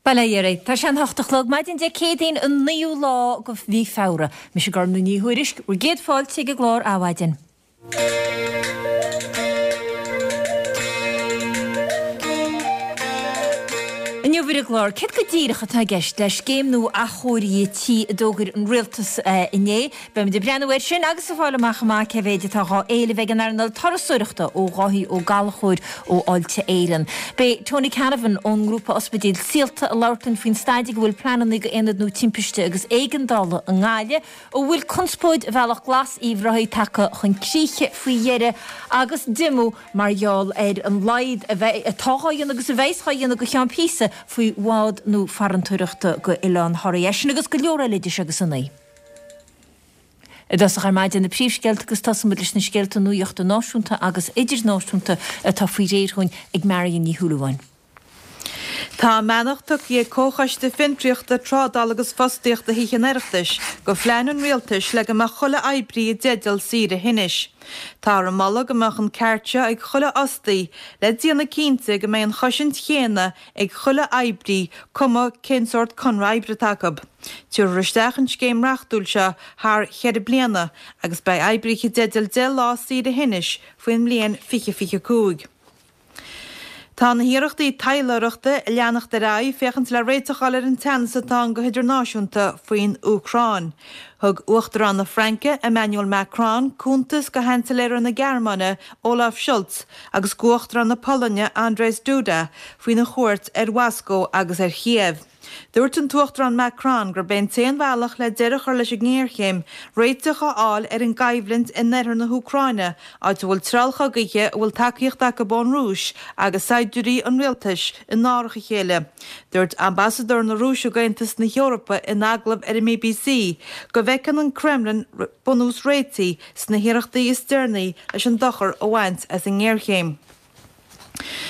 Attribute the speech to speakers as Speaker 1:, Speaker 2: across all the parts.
Speaker 1: Bail ó Dhia oraibh. Tá sé an hocht a chlog, maidin Dé Céadaoin an naoú lá de mhí Feabhra. Mise Gormlaith Ní Thuairisg, bhur gcéad fáilte ag an gclár Adhmhaidin. Inniu ar an gclár, céard go díreach atá i gceist le scéim nua athchóirithe tí a d'fhógair an Rialtas inné? Beimid ag breathnú air sin agus ag fáil amach chomh maith cé mhéid atá dhá éileamh ag an earnáil turasóireachta ó Dháithí Ó Gallchóir ó Fháilte Éireann. Beidh Tony Canavan ón ngrúpa Ospidéil Saolta ag labhairt linn faoin staid ag a bhfuil pleananna do Aonad nua Timpiste agus Éigeandála i nGaillimh. An bhfuil conspóid Bhealach Glas Uíbh Ráthaigh tagtha chun críche faoi dheireadh agus diomú mar gheall ar an laghad a bheidh, atá dhá dhéanamh agus a bheas dhá dhéanamh go cheann píosa faoi bhád nua farantóireachta go Oileán Thoraí. É sin agus go leor eile idir seo agus a naoi. I dtosach ar maidin na príomhscéalta agus tosóimid leis na scéalta nuachta náisiúnta agus idirnáisiúnta atá faoi réir dhúinn ag Marion Ní Shúilleabháin.
Speaker 2: Tá a mbeannacht tugtha ag Comhchoiste Fiontraíochta, Trádála agus Fostaíochta Thithe an Oireachtais go phlean an Rialtais le go mbeadh chuile oibrí i dteideal saoire thinnis. Táthar ag moladh go mbeadh an ceart seo ag chuile fhostaí le déanamh cinnte go mbeidh an chosaint chéanna ag chuile oibrí cuma cén sórt conradh oibre atá acu. Tabharfar isteach an scéim reachtúil seo thar cheithre bliana agus beidh oibríthe i dteideal 10 lá saoire thinnis faoin mbliain 2025. Tá na hiarrachtaí taidhleoireachta ag leanacht ar aghaidh féachaint le réiteach a fháil ar an teannas atá ann go hidirnáisiúnta faoin Úcráin. Thug Uachtarán na Fraince, Emmanuel Macron, cuntas go Sheansailéara na Gearmáine, Olaf Scholz, agus go Uachtarán na Polainne, Andrzej Duda, faoina chuairt ar Mhoscó agus ar Chíéiv. Dúirt an tUachtarán Macron gurb é an t-aon bhealach le deireadh a chur leis an ngéarchéim, réiteach a fháil ar an gcoimhlint in oirthear na hÚcráine, áit a bhfuil treallchogaithe a bhfuil tacaíocht acu ón Rúis agus saighdiúirí an rialtais in árach a chéile. Dúirt ambasadóir na Rúise ag Aontas na hEorpa in agallamh ar an mBBC go bhfeiceann an Kremlin bunús réitigh sna hiarrachtaí is deireanaí leis an dochar a bhaint as an ngéarchéim.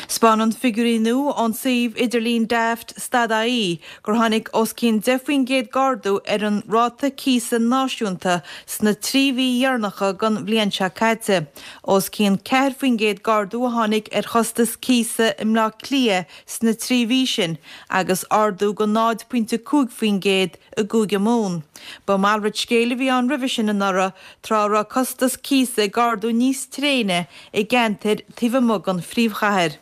Speaker 2: 'Spáineann figiúirí nua ón suíomh idirlín Daft stad-IE gur tháinig os cionn 10% d'ardú ar an ráta cíosa náisiúnta sna 3 mhí dheireanacha den bhliain seo caite. Os cionn 4% d'ardú a tháinig ar chostas cíosa i mBleá Cliath sna 3 mhí sin agus ardú de 0.5% i gCúige Mumhan. Ba mhalrait scéil a bhí ann roimhe sin anuraidh tráth a raibh costas cíosa ag ardú níos tréine i gceantair taobh amuigh den phríomhchathair.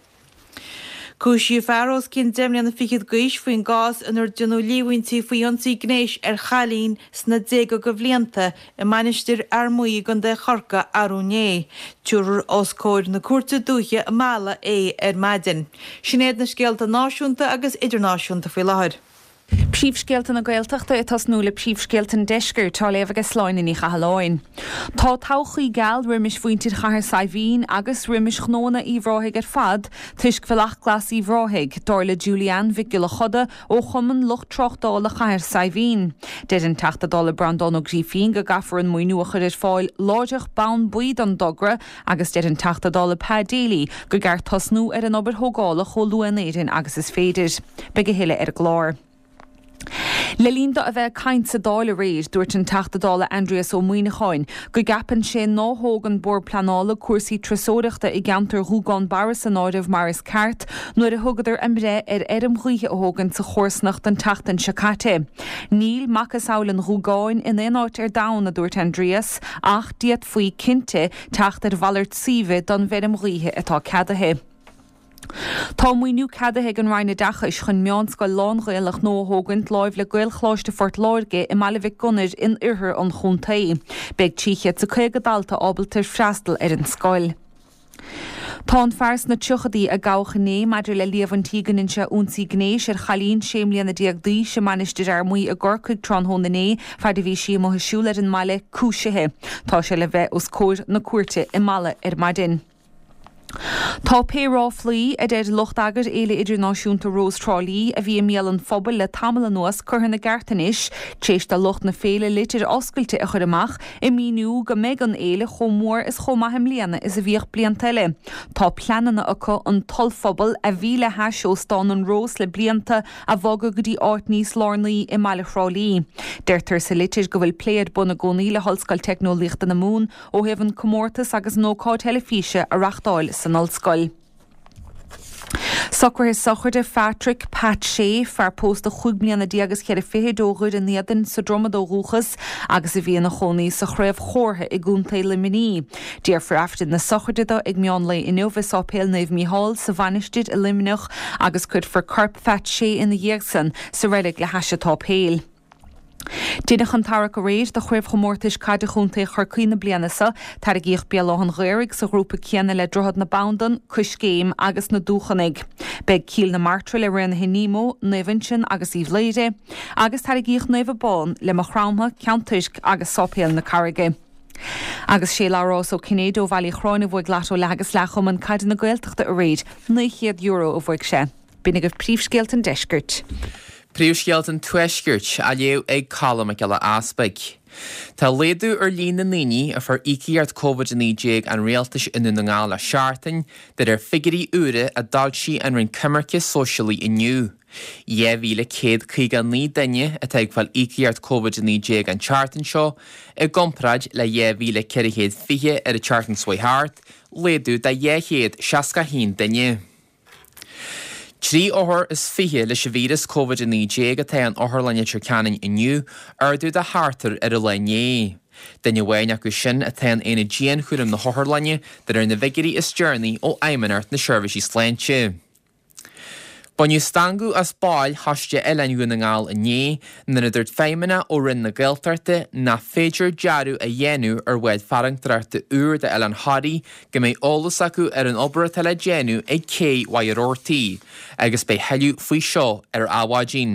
Speaker 2: Cúisíodh fear os cionn deich mbliana fichead d'aois faoin gcás inar déanadh líomhaintí faoi ionsaí gnéis ar chailín sna déaga de bhlianta i Mainistir Fhear Maí i gContae Chorcaí arú inné. Tabharfar os comhair na Cúirte Dúiche i Mala é ar maidin. Sin iad na scéalta náisiúnta agus idirnáisiúnta faoi láthair.
Speaker 3: Príomhscéalta na Gaeltachta ag tosnú le príomhscéalta an Deiscirt á léamh aige Sláine Ní Chathalláin. Tá todhchaí geal roimis mhuintir Chathair Saidhbhín agus roimis ghnóanna Uíbh Ráthaigh ar fad toisc Bhealach Glas Uíbh Ráthaigh, dar le Julie Ann Mhic Giolla Choda ó Chumann Lucht Tráchtála Chathair Saidhbhín. Deir an Teachta Dála Breandán Ó Grífín go gcaithfear an maoiniú a chur ar fáil láithreach bonn buí don dtogra agus deir an Teachta Dála Pa Daly go gceart tosnú ar an obair thógála chomh luath in Éirinn agus is féidir. Beidh a thuilleadh ar an gclár. Le linn dó a bheith ag caint sa Dáil aréir, dúirt an Teachta Dála Aindrias Ó Muimhneacháin go gceapann sé nár thóg an Bord Pleanála cúrsaí turasóireachta i gceantar Ghúgán Barra san áireamh mar is ceart nuair a thugadar a mbreith ar fheirm ghaoithe a thógaint sa chomharsanacht an tseachtain seo caite. Níl macasamhail an Ghúgáin in aon áit ar domhan, a dúirt Aindrias, ach d'fhéadfaí, cinnte, teacht ar mhalairt suímhe don bhfeirm ghaoithe atá ceadaithe. Tá maoiniú ceadaithe ag an Roinn Oideachais chun meánscoil lán-Ghaelach nua a thógaint láimh le Gaelcholáiste Phort Láirge i mBaile Mhic Gonair in oirthear an chontae. Beidh 350 dalta ábalta freastal ar an scoil. Tá an fear sna tríochadaí a gabhadh inné maidir le líomhaintí go ndein sé ionsaí gnéis ar chailín 16 mbliana d'aois i Mainistir Fhear Maí i gCorcaigh tráthnóna inné, faid a bhí sí amuigh ag siúl ar an mbaile, cúisithe. Tá sé le bheith os comhair na cúirte i Mala ar maidin. Tá pé ráflaí, a deir lucht eagair Fhéile Idirnáisiúnta Rós Thrá Lí, a bhí i mbéal an phobail le tamall anuas curtha ina gceart anois, tar éis do lucht na féile litir oscailte a chur amach ag míniú go mbeidh an fhéile chomh mór is chomh maith i mbliana is a bhíodh blianta eile. Tá pleananna acu an t-ollphuball, a bhí le hais Óstán an Rós le blianta, a bhogadh go dtí áit níos lárnaí i mbaile Thrá Lí. Deirtear sa litir go bhfuil plé ar bun i gcónaí le hOllscoil Teicneolaíochta na Mumhan ó thaobh an comórtas agus an ócáid theilifíse a reachtáil san ollscoil. Socruithe sochraide Phatrick Pat Shea, fear pósta chúig bliana déag is cheithre fichid ó Dhoire an Éadain sa Dromad ó dhúchas agus a bhí ina chónaí sa Chraobh Chomhartha i gContae Luimnigh. Déarfar Aifreann na sochraide dó ag meán lae inniu i Sáipéal Naomh Mícheál sa Mhainistir i Luimneach agus cuirfear corp Phat Shea ina dhiaidh san sa reilig le hais an tsáipéil. Deineadh an tarrac aréir do Chraobhchomórtais Caide Chontae Chorcaí na bliana seo. Tarraingíodh Béal Átha'n Ghaorthaidh sa ghrúpa céanna le Droichead na Bandan, Coiscéim agus na Dúchonaidh. Beidh Cill na Martra le Raonaithe Nemo, Naomh Uinseann agus Uíbh Laoire, agus tarraingíodh Naomh Abán le Maigh Chromtha, Ceann Toirc agus Sáipéal na Carraige. Agus sé Labhrás Ó Cinnéide ó Bhaile Uí Chorráin a bhuaigh Lotto leath agus leath Chumann Caide na Gaeltachta aréir. €900 a bhuaigh sé. B'in agaibh príomhscéalta an deiscirt.
Speaker 4: Príomhscéalta an Tuaiscirt á léamh ag Colm Mac Giolla Easpaig. Tá laghdú ar líon na ndaoine a fuair íocaíocht Covid-19 an Rialtais i nDún na nGall le seachtain, de réir figiúirí úra a d'fhoilsigh an Roinn Coimirce Sóisialaí inniu. 2,159 duine atá ag fáil íocaíocht Covid-19 an tseachtain seo, i gcomparáid le 2,420 ar an tseachtain seo chuaigh thart, laghdú de 261 duine. 23 othar leis an víreas Covid-19 atá in Otharlann Leitir Ceanainn inniu, ardú de sheachtar ar an lá inné. Duine amháin acu sin atá in aonad dianchúraim na hotharlainne, de réir na bhfigiúirí is deireanaí ó Fheidhmeannacht na Seirbhísí Sláinte. Baineadh stangadh as baill Choiste Oileáin Dhún na nGall inné nuair a dúirt feidhmeannach ó Roinn na Gaeltachta nach féidir dearadh a dhéanamh ar bhád farantóireachta úr d'Oileán Thoraí go mbeidh eolas acu ar an obair atá le déanamh ag cé Mhachaire Rabhartaigh agus beidh thuilleadh faoi seo ar Adhmhaidin.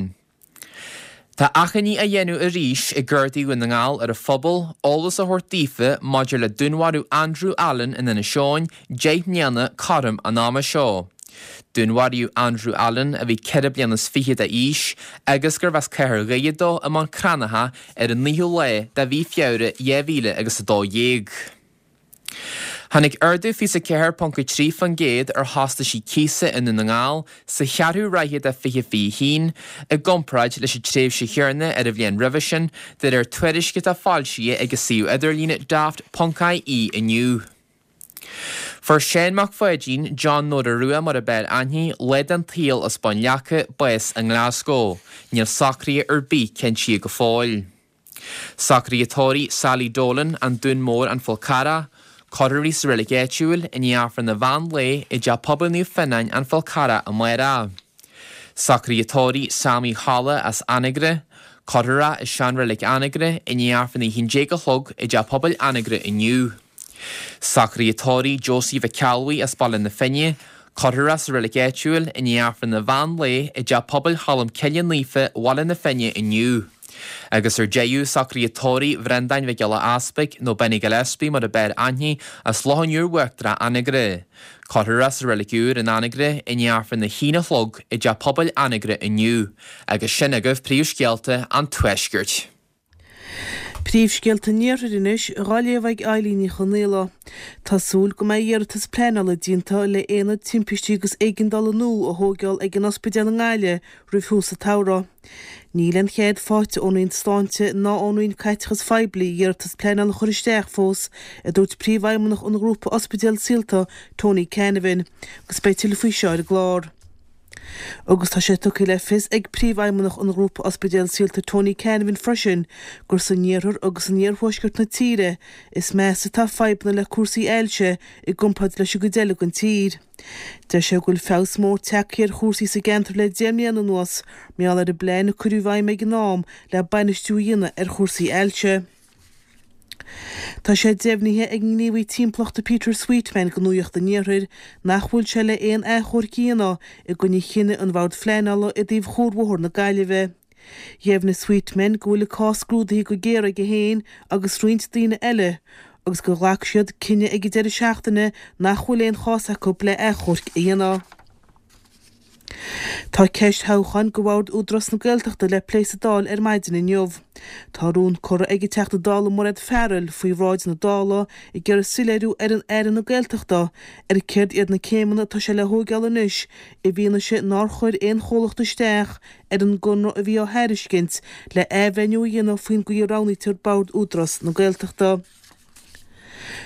Speaker 4: Tá achainí á dhéanamh arís ag Gardaí Dhún na nGall ar an phobal eolas a thabhairt daofa maidir le dúnmharú Andrew Allen in Inis Eoghain 10 mbliana cothrom an ama seo. Dúnmharaíodh Andrew Allen, a bhí 24 bliana is fiche d'aois agus gurbh as Cathair Dhoire dó, i mBun Cranncha ar an 9ú lá de mhí Feabhra 2000 agus 12. Tháinig ardú 24.3% ar chostaisí cíosa i nDún na nGall sa cheathrú ráithe de 2021 i gcomparáid leis an tréimhse chéanna ar an bhliain roimhe sin, de réir tuairisc atá foilsithe ag an suíomh idirlín daft.ie inniu. Fuair Seán Mac Pháidín, John Nóra Rua mar ab fhearr aithne, lá den tsaol as Bun Leaca, bás i nGlasgow. Níl socruithe ar bith cinntithe go fóill. Socruithe tórraimh Sally Dolan, An Dún Mór, An Fál Carrach, Cuirfear í sa reilig áitiúil i ndiaidh Aifreann an mheán lae i dTeach Pobail Naomh Fionnáin, An Fál Carrach amárach. Socruithe tórraimh Sam Uí Cholla as Anagaire, Cuirfear é i seanreilig Anagaire i ndiaidh Aifreann a 11 a chlog i dTeach Pobail Anagaire inniu. Socruithe tórraimh Josie Mhic Ceallbhuí as Baile na Finne, Cuirfear é sa reilig áitiúil i ndiaidh Aifreann an mheán lae i dTeach Pobail Cholm Cille Naofa, Bhaile na Finne inniu. Agus ar deireadh, socruithe tórraimh Bhreandáin Mhic Giolla Easpaig, nó Benny Gillespie mar ab fhearr aithne, as Loch an Iúir Uachtarach, Anagaire. Cuirfear é sa reilig úr in Anagaire i ndiaidh Aifreann a haon a chlog i dTeach Pobail Anagaire inniu. Agus sin agaibh príomhscéalta an Tuaiscirt.
Speaker 5: Príomhscéalta an Iarthair anois, dhá léamh ag Eilín Ní Chonaola. Tá súil go mbeidh iarratas pleanála déanta le aonad timpistí agus éigeandála nua a thóigeáil ag an ospidéal i nGaillimh roimh thús an tsamhraidh. Níl aon chead faighte ón Roinn Sláinte ná ón Roinn Caiteachais Phoiblí iarratas pleanála a chur isteach fós, a dúirt Príomhfheidhmeannach an ghrúpa ospidéal Saolta, Tony Canavan, agus beidh tuilleadh faoi seo ar an gclár. Agus tá sé tugtha le fios ag Príomhfheidhmeannach an Ghrúpa Ospidéal Saolta Tony Canavan freisin gur san iarthar agus in iarthuaisceart na tíre is measa atá fadhbanna le cúrsaí ailse i gcomparáid leis an gcuid eile den tír. Deir sé go bhfuil feabhas mór tagtha ar chúrsaí sa gceantar le 10 mbliana anuas mar gheall ar an bplean a cuireadh i bhfeidhm ag an am le bainistiú a dhéanamh ar chúrsaí ailse. Tá sé deimhnithe ag an ngníomhaí timpeallachta Peter Sweetman do Nuacht an Iarthair nach bhfuil sé le aon achomharc a dhéanamh i gcoinne chinneadh an Bhord Phleanála i dtaobh Chuarbhóthar na Gaillimhe. Dheimhnigh Sweetman go bhfuil an cás scrúdaithe go géar aige féin agus roinnt daoine eile agus gur ghlac siad cinneadh ag an deireadh seachtaine nach bhfuil aon chás acu le achomharc a dhéanamh. Tá ceist thoghcháin do Bhord Údarás na Gaeltachta le plé sa Dáil ar maidin inniu. Tá rún curtha ag an Teachta Dála Mairéad Farrell faoi bhráid na Dála ag iarraidh soiléiriú ar an Aire na Gaeltachta ar céard iad na céimeanna atá sé le thóigeáil anois i bhfianaise nár chuir aon chomhlacht isteach ar an gconradh a bhí á thairiscint le athbhreithniú a dhéanamh faoin gcaoi a roghnaítear Bord Údarás na Gaeltachta.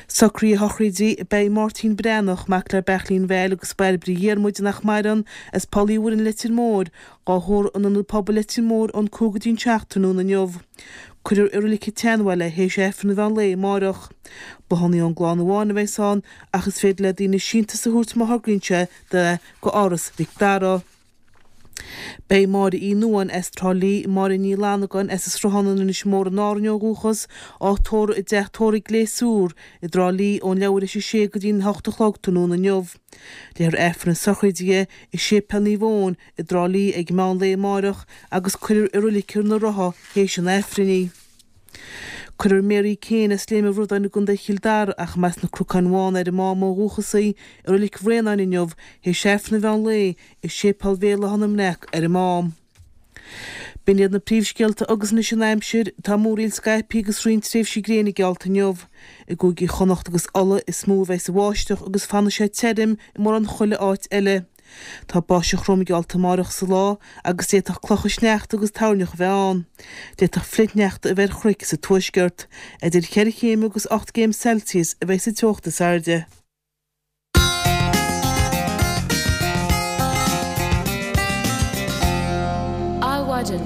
Speaker 5: Socruithe a shochraide, Beidh Máirtín Breathnach, mac le Beairtlín Val agus Bairbre Dhiarmuid nach maireann, as Poll Uí Mhuirinn Leitir Móir, dhá thórramh in Ionad Pobail Leitir Móir ón 5 go dtí'n 7 tráthnóna inniu. Cuirfear i Roilig an tSeanbhaile é théis Aifreann an mheán lae amáireach. Bláthanna ón gclann amháin a bheas ann ach is féidir le daoine síntiús a thabhairt má thograíonn sé do go Áras Mhic Dara. Beidh Máire Uí Nuadháin as Trá Lí, Máire Ní Fhlannagáin as an Sruthán in Inis Mór in Árainn ó dhúchas, á tórramh i dteach tórraimh Gléasúr i dTrá Lí ón leathuair théis a sé go dtí'n 8 a chlog tráthnóna inniu. Léifear Aifreann na sochraide di i Séipéal Naomh Eoin i dTrá Lí ag meán lae amáireach agus cuirfear i Roilig na Rotha théis an Aifrinn í. Cuirfear Mary Kane as Léim an Bhradáin i gContae Chill Dara, ach mba as na Cnocáin Bhána ar an Mám ó dhúchas í, i Roilig Bhraonáin inniu, théis Aifreann an mheán lae, i Séipéal Bhéal Átha na mBreac ar an Mám. B'in iad na príomhscéalta agus anois an aimsir. Tá múraíl scaipthe agus roinnt tréimhsí gréine geallta inniu. I gcúigí Chonnacht agus Uladh is mó a bheas an bháisteach agus fanfaidh sé tirim i mórán chuile áit eile. Tá báisteach throm geallta amárach sa lá agus d'fhéadfadh clocha sneachta agus toirneach a bheith ann. D'fhéadfadh flichshneachta a bheith ar chnoic sa tuaisceart. Idir cheithre chéim agus 8 gcéim Celsius a bheidh sa teocht is airde.
Speaker 1: Adhmhaidin.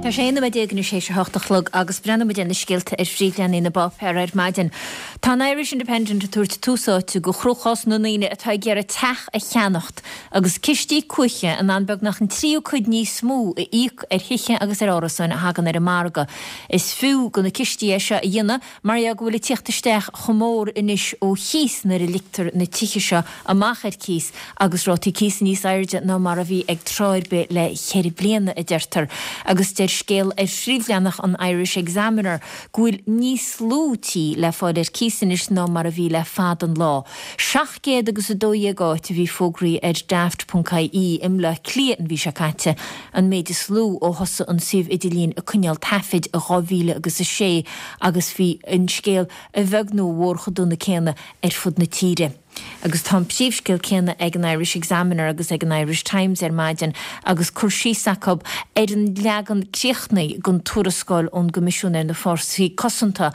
Speaker 1: Tá sé 11 nóiméad anois théis a hocht a chlog agus breathnóidh muid ar na scéalta ar phríomhleathanaigh na bpáipéar ar maidin. Tá an Irish Independent ag tabhairt tús áite go chruachás na ndaoine atá ag iarraidh teach a cheannacht agus cistí cuaiche in ann beagnach an tríú cuid níos mó a íoc ar thithe agus ar árasáin a thagann ar an margadh. Is fiú go na cistí é seo a dhéanamh mar gheall go bhfuil ag tíocht isteach chomh mór anois ó chíos nuair a ligtear na tithe seo amach ar cíos agus rátaí cíosa níos airde ná mar a bhí ag tráth ar bith le ceithre bliana, a deirtear. Agus deir scéal ar phríomhleathanach an Irish Examiner go bhfuil níos lú tí le fáil ar cíos anois ná mar a bhí le fada an lá. 700 agus 12 áit a bhí fógraithe ar Daft ponc ie i mBleá Cliath an mhí seo caite, an méid is lú ó thosaigh an suíomh idirlín ag coinneáil taifid i 2000 agus 6 agus bhí an scéal a bheag nó a mhór chomh dona céanna ar fud na tíre. Agus tá an príomhscéal céanna ag an Irish Examiner agus ag an Irish Times ar maidin agus cur síos acu ar an leagan críochnaithe den tuarascáil ón gCoimisiún ar na Fórsaí Cosanta,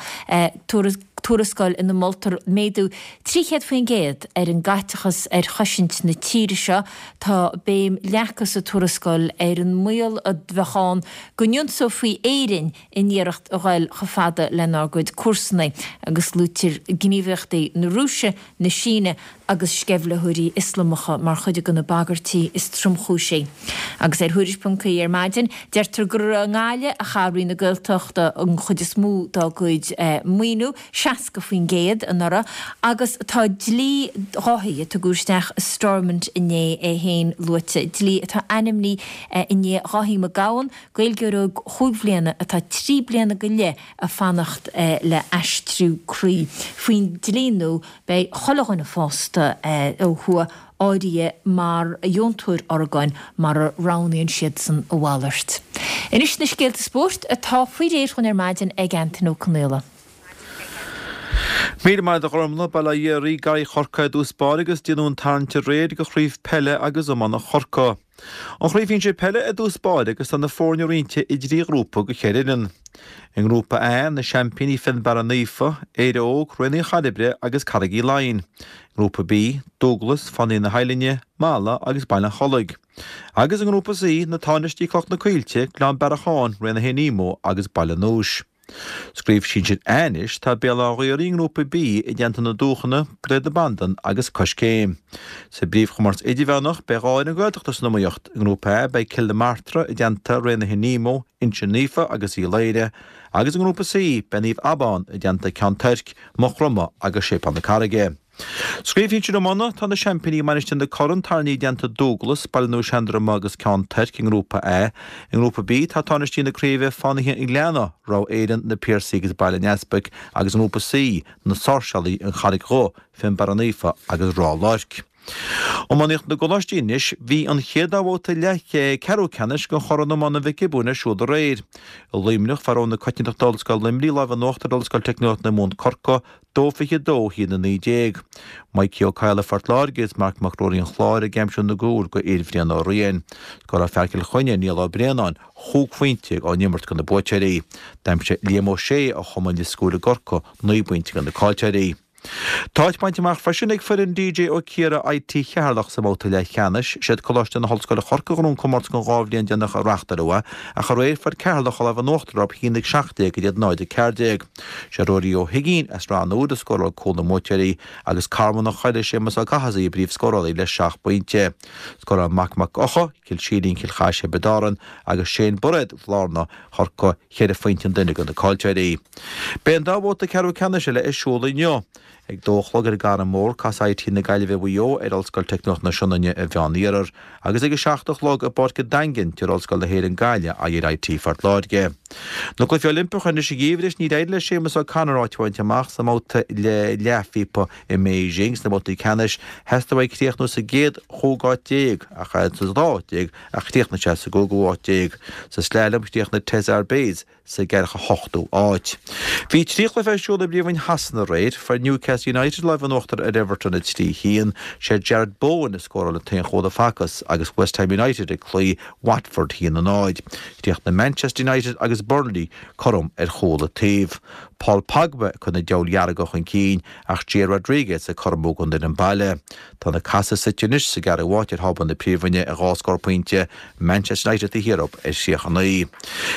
Speaker 1: tuarascáil ina moltar méadú 300% ar an gcaiteachas ar chosaint na tíre seo. Tá béim leagtha sa tuarascáil ar an mbaol a bheadh ann go n-ionsófaí Éirinn in iarracht a ghoil chomh fada lenár gcuid comharsana agus luaitear gníomhaíochtaí na Rúise, na Síne agus sceimhlitheoirí Ioslamacha mar chuid de na bagairtí is tromchúisí. Agus ar Thuairisc ponc ie ar maidin, deirtear gur i nGaillimh a chaith Roinn na Gaeltachta an chuid is mó dá gcuid maoiniú, 60% anuraidh, agus tá dlí Dháithí a tugadh isteach i Stormont inné é féin luaite, dlí atá ainmnithe i ndiaidh Dháithí Mac Gabhann, Gaeilgeoir óg chúig bhliana atá 3 bliana go leith ag fanacht le aistriú croí. Faoin dlí nua, beidh chuile dhuine fásta ó thuaidh áirithe mar dheontóir orgáin mara roghnaíonn siadsan a mhalairt. Anois na scéalta spóirt atá faoi réir dhúinn ar maidin ag Antain Ó Conaola.
Speaker 6: Míle maith agat a Ghormfhlaith, Bail ó Dhia oraibh, Garraí Chorcaí i dtús báire agus déanadh an tarraingt aréir do chraobh peile agus iomána Chorcaí. An chraobh shinsir peile i dtús báire agus tá na foirne roinnte i dtrí ghrúpa go cheithre fhoireann. I ngrúpa A, na seaimpíní Fionnbarra Naofa, Éire Óg, Raon Uí Chairbre agus Carraig Uí Leighin. Grúpa B, Dúglas, Fánaithe na hUillinne, Mala agus Baile an Chollaigh. Agus i ngrúpa C, na Tánaistí Cloich na Coillte, Gleann Bearacháin, Raon 1 Emo agus Baile an Núis. Sa gcraobh sinsir A anois, tá Béal Átha Ghaorthaidh i ngrúpa B i dteannta na Dúchana, Gaoth na Bandan agus Coiscéim. Sa bpríomhchomórtas idirmheánach, beidh 2 fhoireann Gaeltachta san iomaíocht. I ngrúpa A beidh Cill na Martra i dteannta Raon 1 Nemo, Inse Naofa agus Uí Laoghaire, agus i ngrúpa C beidh Naomh Abán i dteannta Ceann Toirc, Maigh Chromtha agus Séipéal na Carraige. Sa gcraobh shinsir iomána, tá na seaimpíní Mainistir na Corann tarraingthe i dteannta Dúglas, Baile Nua Seandroma agus Ceann Toirc i ngrúpa A. I ngrúpa B, tá tánaistí na craoibhe Fánaithe an Ghleanna, Ráth Éireann, Na Piarsaigh agus Baile an Easpaig agus i ngrúpa C, na Sáirséalaigh, An Charraig Dhubh, Fionnbarra Naofa agus Ráth Luirc. Iománaíocht na gColáistí anois, bhí an chéad dá bhabhta leath ceathrú ceannais de Chorn Iomána Mhic Giobúin ar siúl aréir. I Luimneach, fuair na Coitiantachta Ollscoil Luimnigh lámh in uachtar ar Ollscoil Teicneolaíocht na Mumhan Corcaigh, 2-22 1-19. Mikey Ó Cadhla Phort Láirge agus Marc Mac Ruairí an Chláir ag aimsiú na gcúl go fhir Bhrian Ó Riain. Scóráil fear Chill Chainnigh, Niall Ó Braonáin. Chúig phointe á n-imirt do na buaiteoirí. D'aimsigh Liam Ó Sé ó Chumann Lios Cúil i gCorcaigh 9 bpointe do na caillteoirí. Tá áit bainte amach freisin ag foireann DJ Ó Ciardha IT Cheatharlach sa mbabhta leathcheannais. Siad Coláiste na hOllscoile Chorca Dhuibhne an comórtas don dhá bhliain deireanach a reáchtáladh é, ach aréir fuair Ceatharlach an lámh in uachtar orthu 1-17 in aghaidh 0-14. Sé Ruairí Ó hUiginn as Ráth an Iúir a scóráil cúl na mbuaiteoirí agus Carman an Choiligh Séamus Ó Cathasaigh a bpríomhscórálaí le seacht bpointe. Scóráil Mac Mac Eocha, Cill Sílín, Cill Chais, Thiobraid Árann agus Shane Bairéad, Bhlárna, Chorcaí, cheithre phointe an duine do na caillteoirí. Beidh an dá bhabhta ceathrú ceannais eile ar siúl inniu. Ag dó a chlog ar an gCarn Mór, casfaidh IT na Gaillimhe Mhaigh Eo ar Ollscoil Teicneolaíocht na Sionainne an Mheán-Iarthar agus ag a 7 a chlog i bPáirc an Daingin, tabharfaidh Ollscoil na hÉireann Gaillimh aghaidh ar IT Phort Láirge. Na Cluichí Oilimpeacha anois an gheimhridh, níor éirigh le Séamus O'Connor áit a bhaint amach sa mbabhta leathphíopa i mBeijing. Sna babhtaí ceannais, theastaigh uaidh críochnú sa gcéad chúig áit déag ach sa dá áit déag ach chríochnaigh sé sa gcúigiú háit déag. Sa slalom, chríochnaigh Tess Arbez sa gceathracha hochtú áit. Bhí trí chluiche ar siúl i bPríomhroinn Shasana aréir. Fuair Newcastle United lámh in uachtar ar Everton 3, 1. Sé Jarrod Bowen a scóráil an t-aon chúl a facthas agus West Ham United ag cloí Watford 1, 0. Chríochnaigh Manchester United agus Burnley cothrom ar chúl an taobh. Paul Pogba ag cur na Diabhail Dhearga chun cinn ach Jair Rodriguez ag cothromú don fhoireann baile. Tá na Cathaigh suite anois sa gceathrú háit ar thábla na Príomhroinne ar dhá scór pointe, Manchester United taobh thiar dóibh ar 39.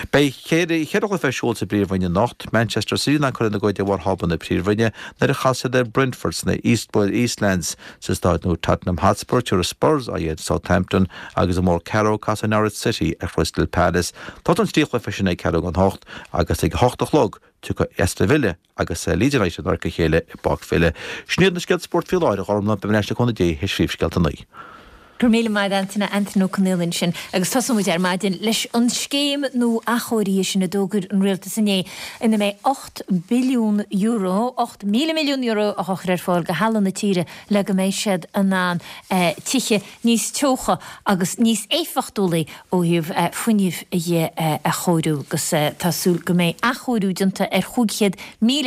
Speaker 6: Beidh ceithre chluiche ar siúl sa bPríomhroinn anocht, Manchester City in ann cur ina gcuid de bharr thábla na Príomhroinne nuair a chasfaidh siad ar Brentford sna Eastlands. Sa staid nua Tottenham Hotspur, tabharfaidh Spurs aghaidh ar Southampton agus i mórcheathrú casfaidh Norwich City ar Crystal Palace. Tosaíonn an trí chluiche sin ag ceathrú don hocht agus ag a hocht a chlog tiocfaidh Aston Villa agus Leeds United in adharca a chéile i bPáirc Villa. Sin iad na scéalta spóirt faoi láthair, a Ghormlaith, beidh mé ar ais le cúnamh Dé théis phríomhscéalta a naoi.
Speaker 1: Go raibh míle maith agat Antaine, Antaine Ó Conaola ansin agus tosóidh muid ar maidin leis an scéim nua athchóirithe sin a d'fhógair an Rialtas inné ina mbeidh €8 billiún, €8,000 milliún á chur ar fáil do theaghlaigh na tíre le go mbeidh siad in ann tithe níos teocha agus níos éifeachtúlaí ó thaobh fuinnimh dhe a chóiriú agus tá súil go mbeidh athchóiriú déanta ar 500,000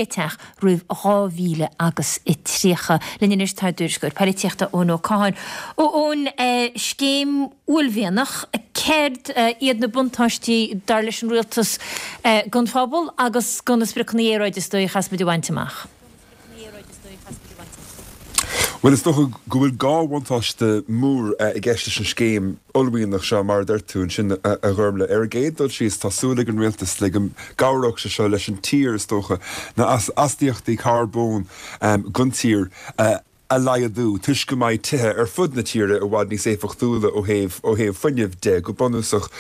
Speaker 1: teach roimh 2000 agus 30. Linn anois tá ár dtuairisceoir polaitíochta Eoin Ó Catháin. A Eoin, scéim uaillmhianach, céard iad na buntáistí dar leis an rialtas don phobal agus do na spriocanna aeráide is dóigh a chaithfeas muid a bhaint amach?
Speaker 7: Bhuel, is dócha go bhfuil dhá bhuntáiste mór i gceist leis an scéim uaillmhianach seo, mar a deir tú ansin, a Ghormlaith. Ar an gcéad dul síos, tá súil ag an rialtas le go gcabhródh sé seo leis an tír, is dócha, na astaíochtaí carbóin don tír a a laghdú toisc go mbeidh tithe ar fud na tíre i bhfad níos éifeachtúla ó thaobh ó thaobh fuinnimh de, go bunúsach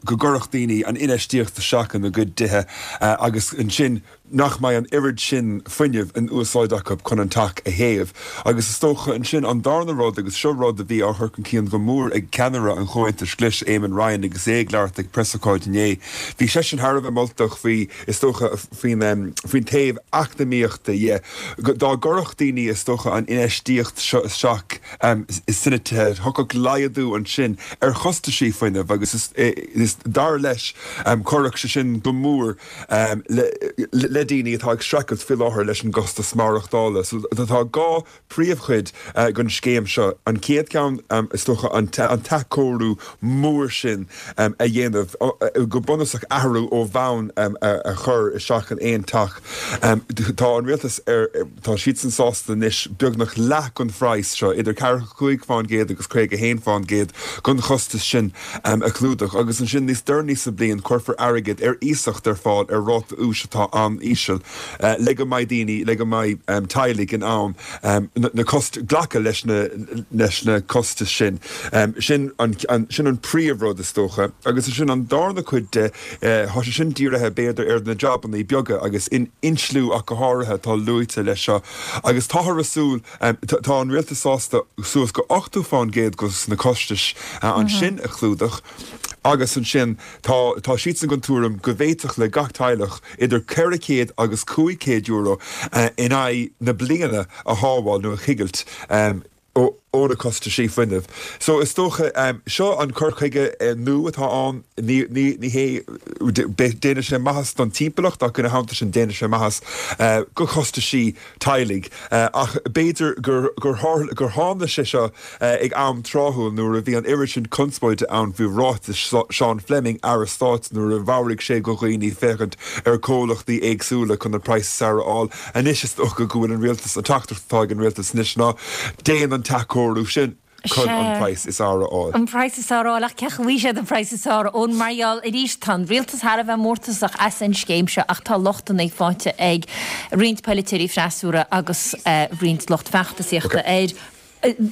Speaker 7: go gcuirfeadh daoine an infheistíocht isteach ina gcuid dtithe agus ansin nach mbeidh an oiread sin fuinnimh in úsáid acu chun an teach a théamh. Agus is dócha ansin an darna rud, agus seo rud a bhí á chur chun cinn go mór ag ceannaire an Chomhaontais Ghlais, Eamon Ryan, agus é ag labhairt ag preasócáid inné, bhí seisean thar a bheith moltach faoi, is dócha, faoin faoin taobh eacnamaíochta dhe. Dá gcuirfeadh daoine, is dócha, an infheistíocht seo isteach sna tithe, thiocfadh laghdú ansin ar chostaisí fuinnimh agus is, dar leis, chuirfeadh sé sin go mór le daoine atá ag streachailt faoi láthair leis an gcostas maireachtála. So tá dhá príomhchuid den scéim seo. An chéad cheann, is dócha, an t-athchóiriú mór sin a dhéanamh, go bunúsach athrú ó bhonn a chur isteach in aon teach. Tá an rialtas ar, tá siadsan sásta anois beagnach leath den phraghas seo, idir 45% agus 51% den chostas sin a chlúdach. Agus ansin níos deireanaí sa bhliain cuirfear airgead ar iasacht ar fáil ar ráta úis atá an-íseal. le go mbeidh daoine, le go mbeidh teaghlaigh in ann na cost, glacadh leis na, leis na costais sin. Sin an, sin an príomhrud is dócha. Agus ansin an darna cuid de, tá sé sin dírithe b'fhéidir ar na jabannaí beaga agus in insliú ach go háirithe atá luaite leis seo. Agus táthar ag súil, tá an rialtas sásta suas go 80% de na costais ansin a chlúdach agus ansin tá, tá siadsan den tuairim go bhféadfadh le gach teaghlach idir €400 agus €500 in aghaidh na bliana a shábháil nó a choigilt ó. ó na costaisí fuinnimh. So is dócha, seo an cur chuige nua atá ann, ní, ní, ní hé, déanfaidh sé maitheas don timpeallacht ach ina theannta sin déanfaidh sé maitheas go chostaisí teaghlaigh. Ach b'fhéidir gur, gur tharla, gur tháinig sé seo ag am tráthúil nuair a bhí an oiread sin conspóide ann faoi ráitis Sean Fleming, Aire Stáit, nuair a mheabhraigh sé go dhaoine féachaint ar chomhlachtaí éagsúla chun an praghas is fearr a fháil. Anois is dócha go bhfuil an rialtas, an teachtaireacht atá ag an rialtas anois ná déan an t-athchóiriú sin chun an praghas is fearr a fháil.
Speaker 1: An praghas is fearr a fháil, ach cén chaoi a bhfaighidh siad an praghas is fearr ón mar gheall arís tá an rialtas thar a bheith mórtasach as an scéim seo ach tá lochtanna faighte ag roinnt polaiteoirí freasúra agus roinnt lucht feachtasaíochta air.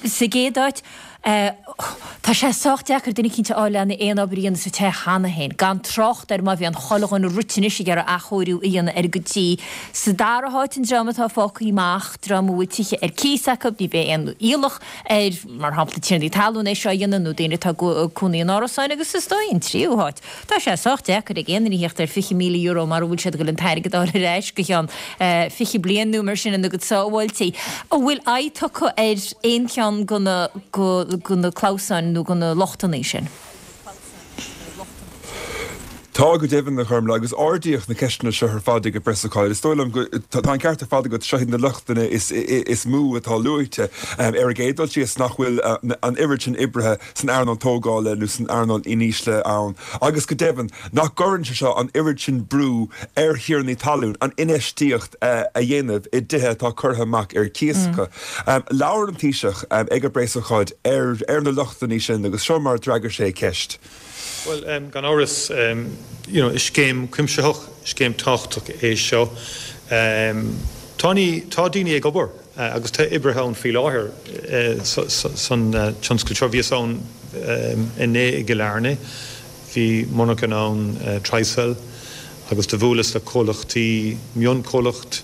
Speaker 1: Sa gcéad áit, tá sé sách deacair duine eicínt a fháil lena aon obair a dhéanamh sa teach cheana féin, gan trácht ar má bhíonn chuile dhuine rite anois ag iarraidh athchóiriú a dhéanamh ar a gcuid tí. Sa dara háit, an dream atá fágtha amach, dream a bhfuil tithe ar cíos acu, ní bheidh aon iallach ar, mar shampla, tiarnaí talún é seo a dhéanamh nó daoine atá ag cónaí in árasáin agus is dóigh an tríú háit, Tá sé sách deacair ag aon duine a theacht ar €20,000 mara bhfuil siad ag dul an t-airgead a fháil ar ais go ceann 20 bliain nó mar sin ina gcuid sábháiltí. An bhfuil aghaidh tugtha ar aon cheann de na de na clamhsáin nó de na lochtanna sin?
Speaker 7: Tá go deimhin, a Ghormlaith, agus ardaíodh na ceisteanna seo ar fad ag an bpreasócáid. Is dóigh liom go, tá an ceart ar fad agat, seo iad na lochtanna is mó atá luaite. Ar an gcéad dul síos, nach bhfuil an oiread sin oibrithe san earnáil tógála nó san earnáil iníslithe ann agus go deimhin nach gcuireann sé seo an oiread sin brú ar thiarnaí talún an infheistíocht a dhéanamh i dtithe atá curtha amach ar cíos acu. Labhair an Taoiseach ag an bpreasócáid ar na lochtanna sin agus seo mar a d'fhreagair sé ceist.
Speaker 8: Bhuel, gan amhras, you know, is scéim cuimsitheach, scéim tábhachtach é seo. Tá, tá daoine ag obair. Agus tá oibrithe ann faoi láthair san tionscal seo. Bhíos ann inné i gCill Airne, bhí monarchan ann, Tricel, agus do bhuaileas le comhlachtaí, mionchomhlacht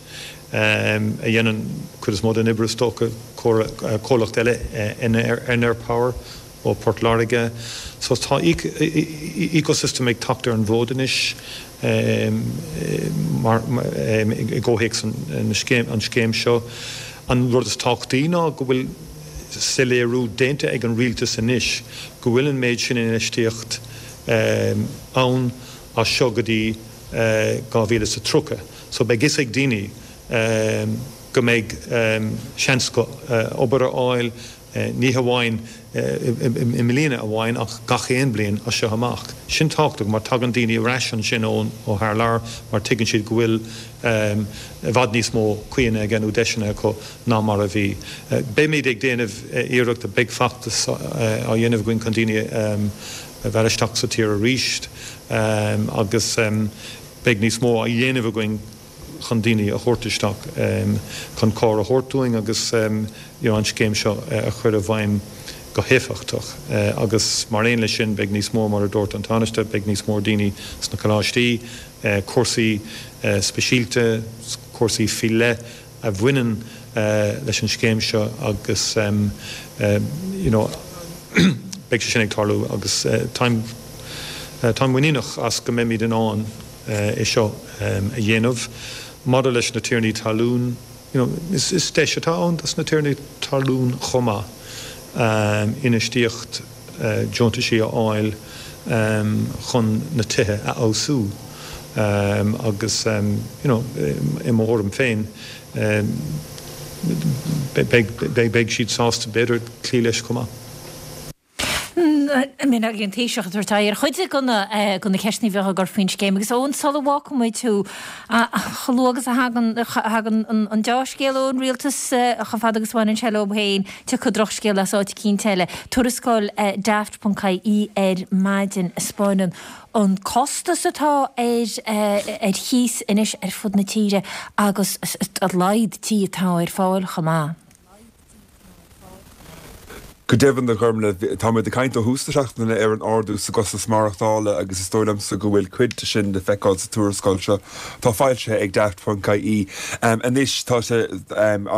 Speaker 8: a dhéanann cuid is mó den obair is dócha, comhlacht eile, Enerpower, ó Port Láirge. So tá ecosystem ag teacht ar an bhfód anois mar i gcomhthéacs an scéim seo. An rud is tábhachtaí ná go bhfuil soiléiriú déanta ag an rialtas anois go bhfuil an méid sin infheistíocht ann as seo go dtí 2030. So beidh fhios ag daoine go mbeidh seans acu obair a fháil, Ní hamháin i mbliana amháin ach gach aon bhliain as seo amach. Sin tábhachtach mar tagann daoine ar ais ansin ó thar lear mar tuigeann siad go bhfuil i bhfad níos mó caoanna aige nó deiseanna acu ná mar a bhí. Beimid ag déanamh iarrachta, beidh feachtas á dhéanamh againn chun daoine a mhealladh isteach sa tír arís agus beidh níos mó á dhéanamh againn chun daoine a thabhairt isteach chun cabhair a thabhairt dúinn agus you know an scéim seo a chur i bhfeidhm go héifeachtach. Agus mar aon leis sin beidh níos mó, mar a dúirt an Tánaiste, beidh níos mó daoine sna coláistí, cúrsaí speisialta, cúrsaí faoi leith a bhaineann leis an scéim seo agus you know beidh sé sin ag tarlú agus táim táim muiníneach as go mbeimid in ann é seo a dhéanamh. Maidir leis na tiarnaí talún, you know, is deis atá ann dos na tiarnaí talún chomh maith infheistíocht deontaisí a fháil chun na tithe a fheabhsú agus, you know, i mo thuairim féin, beidh siad sásta b'fhéidir cloí leis chomh maith.
Speaker 1: I mean ag an Taoiseach ag tabhairt aghaidh ar chuid de na de na ceisteanna a bheadh á gcur faoin scéim agus Eoin sula bhfágfaidh muid thú chomh luath agus a thagann thagann an deá-scéal ón rialtas chomh fada agus a bhaineann sé leo féin tiocfaidh drochscéal as áit eicínt eile. Tuarascáil Daft ponc ie ar maidin a 'spáineann an costas atá ar ar chíos anois ar fud na tíre agus a laghad tí atá ar fáil chomh maith.
Speaker 7: Go deimhin, a Ghormlaith, táimid ag caint ó thús na seachtaine ar an ardú sa gcostas maireachtála agus is dóigh liomsa go bhfuil cuid de sin le feiceáil sa tuarascáil seo atá foilsithe ag Daft ponc ie. Anois tá sé, an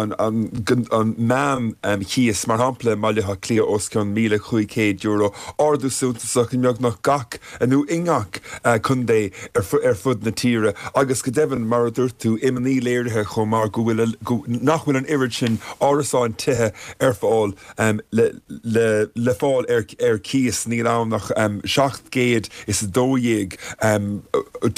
Speaker 7: meán chíos, mar shampla, i mBaile Átha Cliath os cionn €1,500, ardú suntasach i mbeagnach gach, nó i ngach contae ar fud na tíre agus go deimhin, mar a dúirt tú, imní léirithe chomh maith go bhfuil, nach bhfuil an oiread sin árasáin, tithe ar fáil le fáil ar cíos. Níl ann ach 712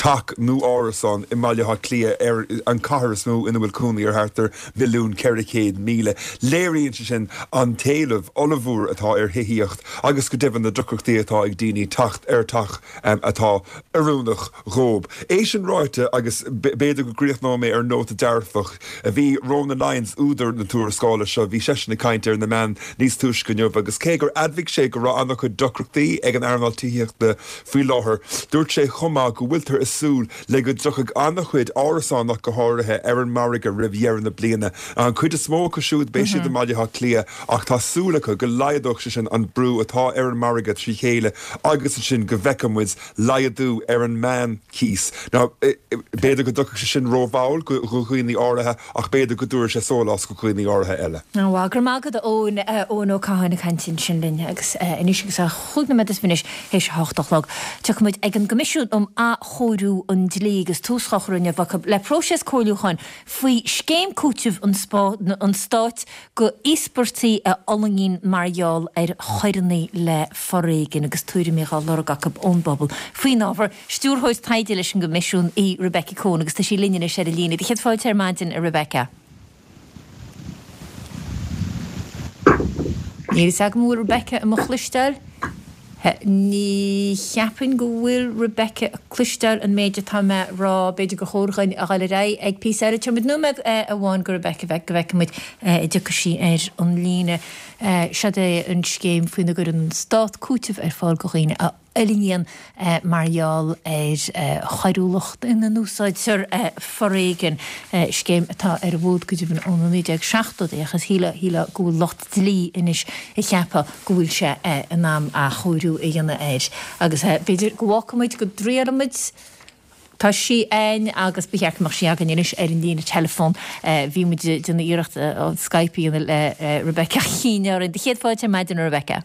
Speaker 7: teach nó árasán i mBaile Átha Cliath, ar an chathair is mó ina bhfuil cónaí ar thart ar 1,400,000. Léiríonn sé sin an t-éileamh ollmhór atá ar thithíocht agus go deimhin na deacrachtaí atá ag daoine teacht ar teach atá oiriúnach dhóib. É sin ráite, agus b'fhéidir go gcríochnóidh mé ar nóta dearfach, bhí Ronan Lyons, údar na tuarascála seo, bhí seisean ag caint ar na meáin níos túisce inniu agus cé gur admhaigh sé go raibh an-chuid deacrachtaí ag an earnáil tithíochta faoi láthair, dúirt sé chomh maith go bhfuiltear ag súil le go dtiocfaidh an-chuid árasán ach go háirithe ar an margadh roimh dheireadh na bliana. An chuid is mó acu siúd, beidh siad i mBaile Átha Cliath ach tá súil acu go laghdódh sé sin an brú atá ar an margadh trí chéile agus ansin go bhfeicfidh muid laghdú ar an meán-chíos. Now, b'fhéidir go dtiocfaidh sé sin rómhall do dhaoine áirithe ach b'fhéidir go dtabharfaidh sé sólás do dhaoine áirithe eile.
Speaker 1: Bhuel, go raibh maith agat a Eoin, Eoin Ó Catháin ag caint ansin linn agus anois agus é chúig nóiméad is fiche théis a hocht a chlog, tiocfaidh muid ag an gCoimisiún um Athchóiriú an Dlí agus tús á chur inniu acu le próiseas comhairliúcháin faoi scéim cúitimh an Stáit go íospartaigh a fhulaingíonn mar gheall ar choireanna le foréigean agus tuairimí á lorg acu ón bpobal faoin ábhar. Stiúrthóir Taighde leis an gCoimisiún í Rebecca Coen agus tá sí linn anois ar an líne. Do chéad fáilte ar maidin, a Rebecca. Níl fhios agam an bhfuil Rebecca i mo chloisteáil. Ní cheapaim go bhfuil Rebecca ag cloisteáil an méid atá mé a rá. B'fhéidir gur chóir dhuinn a dhul ar aghaidh ag píosa eile. Tabharfaidh muid nóiméad amháin go Rebecca go bhfeicfidh muid an dtiocfaidh sí ar an líne. Seod é an scéim faoina gcuireann an Stát cúiteamh ar fáil do dhaoine a fhulaingíonn mar gheall ar choiriúlacht ina n-úsáidtear foréigean, scéim atá ar an bhfód go deimhin ó na 1970idí ach is shílfeá go bhfuil lucht dlí anois ag ceapadh go bhfuil sé in am athchóiriú a dhéanamh air agus b'fhéidir go bhfágfaidh muid go dtriailfidh muid Tá sí againn agus ba cheart go mbeadh sí againn anois ar an líne teileafóin. Bhí muid ag déanamh iarracht Skype a dhéanamh le Rebecca ach chinn orainn. Do chéad fáilte ar maidin a Rebecca.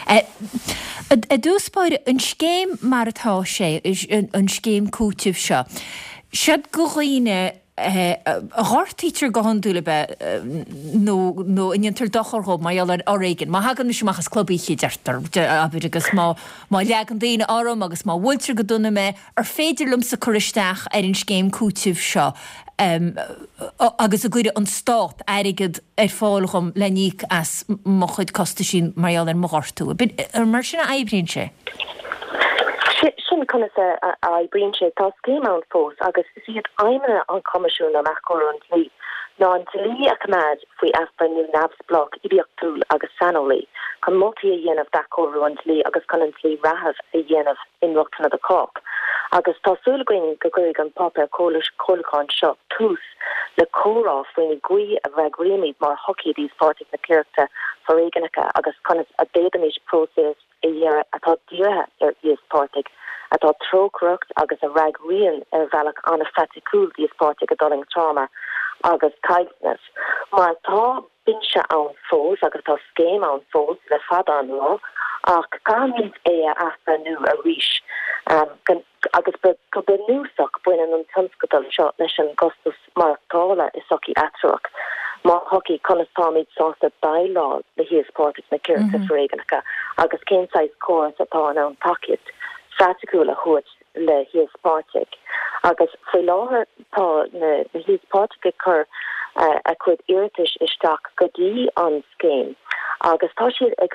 Speaker 1: I dtús báire, an scéim mar atá sé, an scéim cúitimh seo, seod go dhaoine a ghortaítear go hiondúil ab ea nó nó a ndéantar dochar dhóibh mar gheall ar fhoréigean. Má thagann mise amach as club oíche, deirtear, abair, agus má má leagann daoine orm agus má bhuailtear go dona mé, ar féidir liomsa cur isteach ar an scéim cúitimh seo agus an gcuirfidh an Stát airgead ar fáil dhom le n-íoc as mo chuid costaisí mar gheall ar mo ghortú. Ar mar sin a oibríonn sé?
Speaker 9: Sin conas a oibríonn sé. Tá scéim ann fós agus is iad aidhmeanna an Choimisiúin um Athchóiriú an Dlí ná an dlí a choimeád faoi athbhreithniú neamhspleách oibiachtúil agus saineolaí chun moltaí a dhéanamh d'athchóiriú an dlí agus chun an dlí reatha a dhéanamh inrochtana do chách. Agus tá súil againn go gcuirfidh an páipéar comhairliúcháin seo tús le comhrá faoin gcaoi a bhfreagraímid mar shochaí d'íospartaigh na coireachta foréigneacha agus conas a d'fhéadfaimis próiseas a dhearadh atá dírithe ar íospartaigh, atá trócaireach agus a fhreagraíonn ar bhealach an-phraiticiúil d'íospartaigh a d'fhulaing tráma agus caillteanas. Mar tá binse ann fós agus tá scéim ann fós le fada an lá ach caithfimid é a athbhreithniú arís agus go bunúsach baineann an tionscadal seo leis an gcostas maireachtála i sochaí atruach. Mar shochaí, conas táimid sásta déileáil le híospartaigh na coireachta foréigneacha agus cén saghas córas atá in ann tacaíocht phraiticiúil a thabhairt le híospartaigh agus faoi láthair tá na híospartaigh ag cur a gcuid iarratais isteach go dtí an scéim agus tá siad ag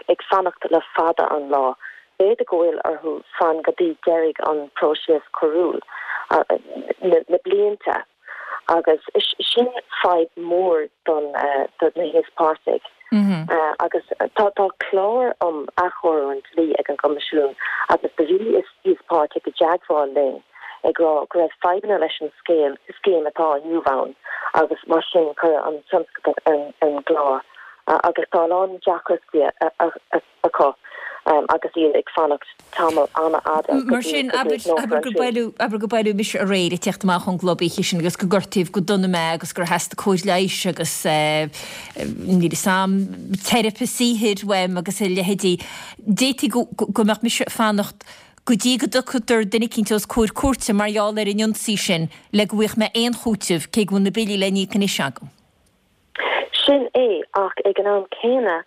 Speaker 9: ag fanacht le fada an lá. B'fhéidir go bhfuil orthu fan go dtí deiridh an próiseas coiriúil, na blianta. Agus sin fadhb mhór do na híospartaigh. Agus tá tá clár um athchóiriú an dlí ag an gCoimisiún agus do bhí íospartaigh i dteagmháil linn. ag rá go raibh fadhbanna leis an scéal, scéim atá inniu ann agus mar sin cuireadh an tionscadal ar an gclár agus tá a lán deacrachtaí acu agus iad ag fanacht tamall an-fhada go
Speaker 1: Mar sin, abair, abair gur buaileadh, abair gur buaileadh mise aréir ag teacht amach ón gclub oíche sin agus gur gortaíodh go dona mé agus gur theastaigh cóir leighis agus níl a fhios a'm, teiripe saothair uaim agus a leithéidí. D'fhéadfaí go, go mbeadh mise ag fanacht go dtí go dtiocfadh duine eicínt os comhair cúirte mar gheall ar an ionsaí sin le go bhfaigheadh mé aon chúiteamh, cé go bhfuil na billí le n-íoc anois agam.
Speaker 9: Sin é, ach ag an am céanna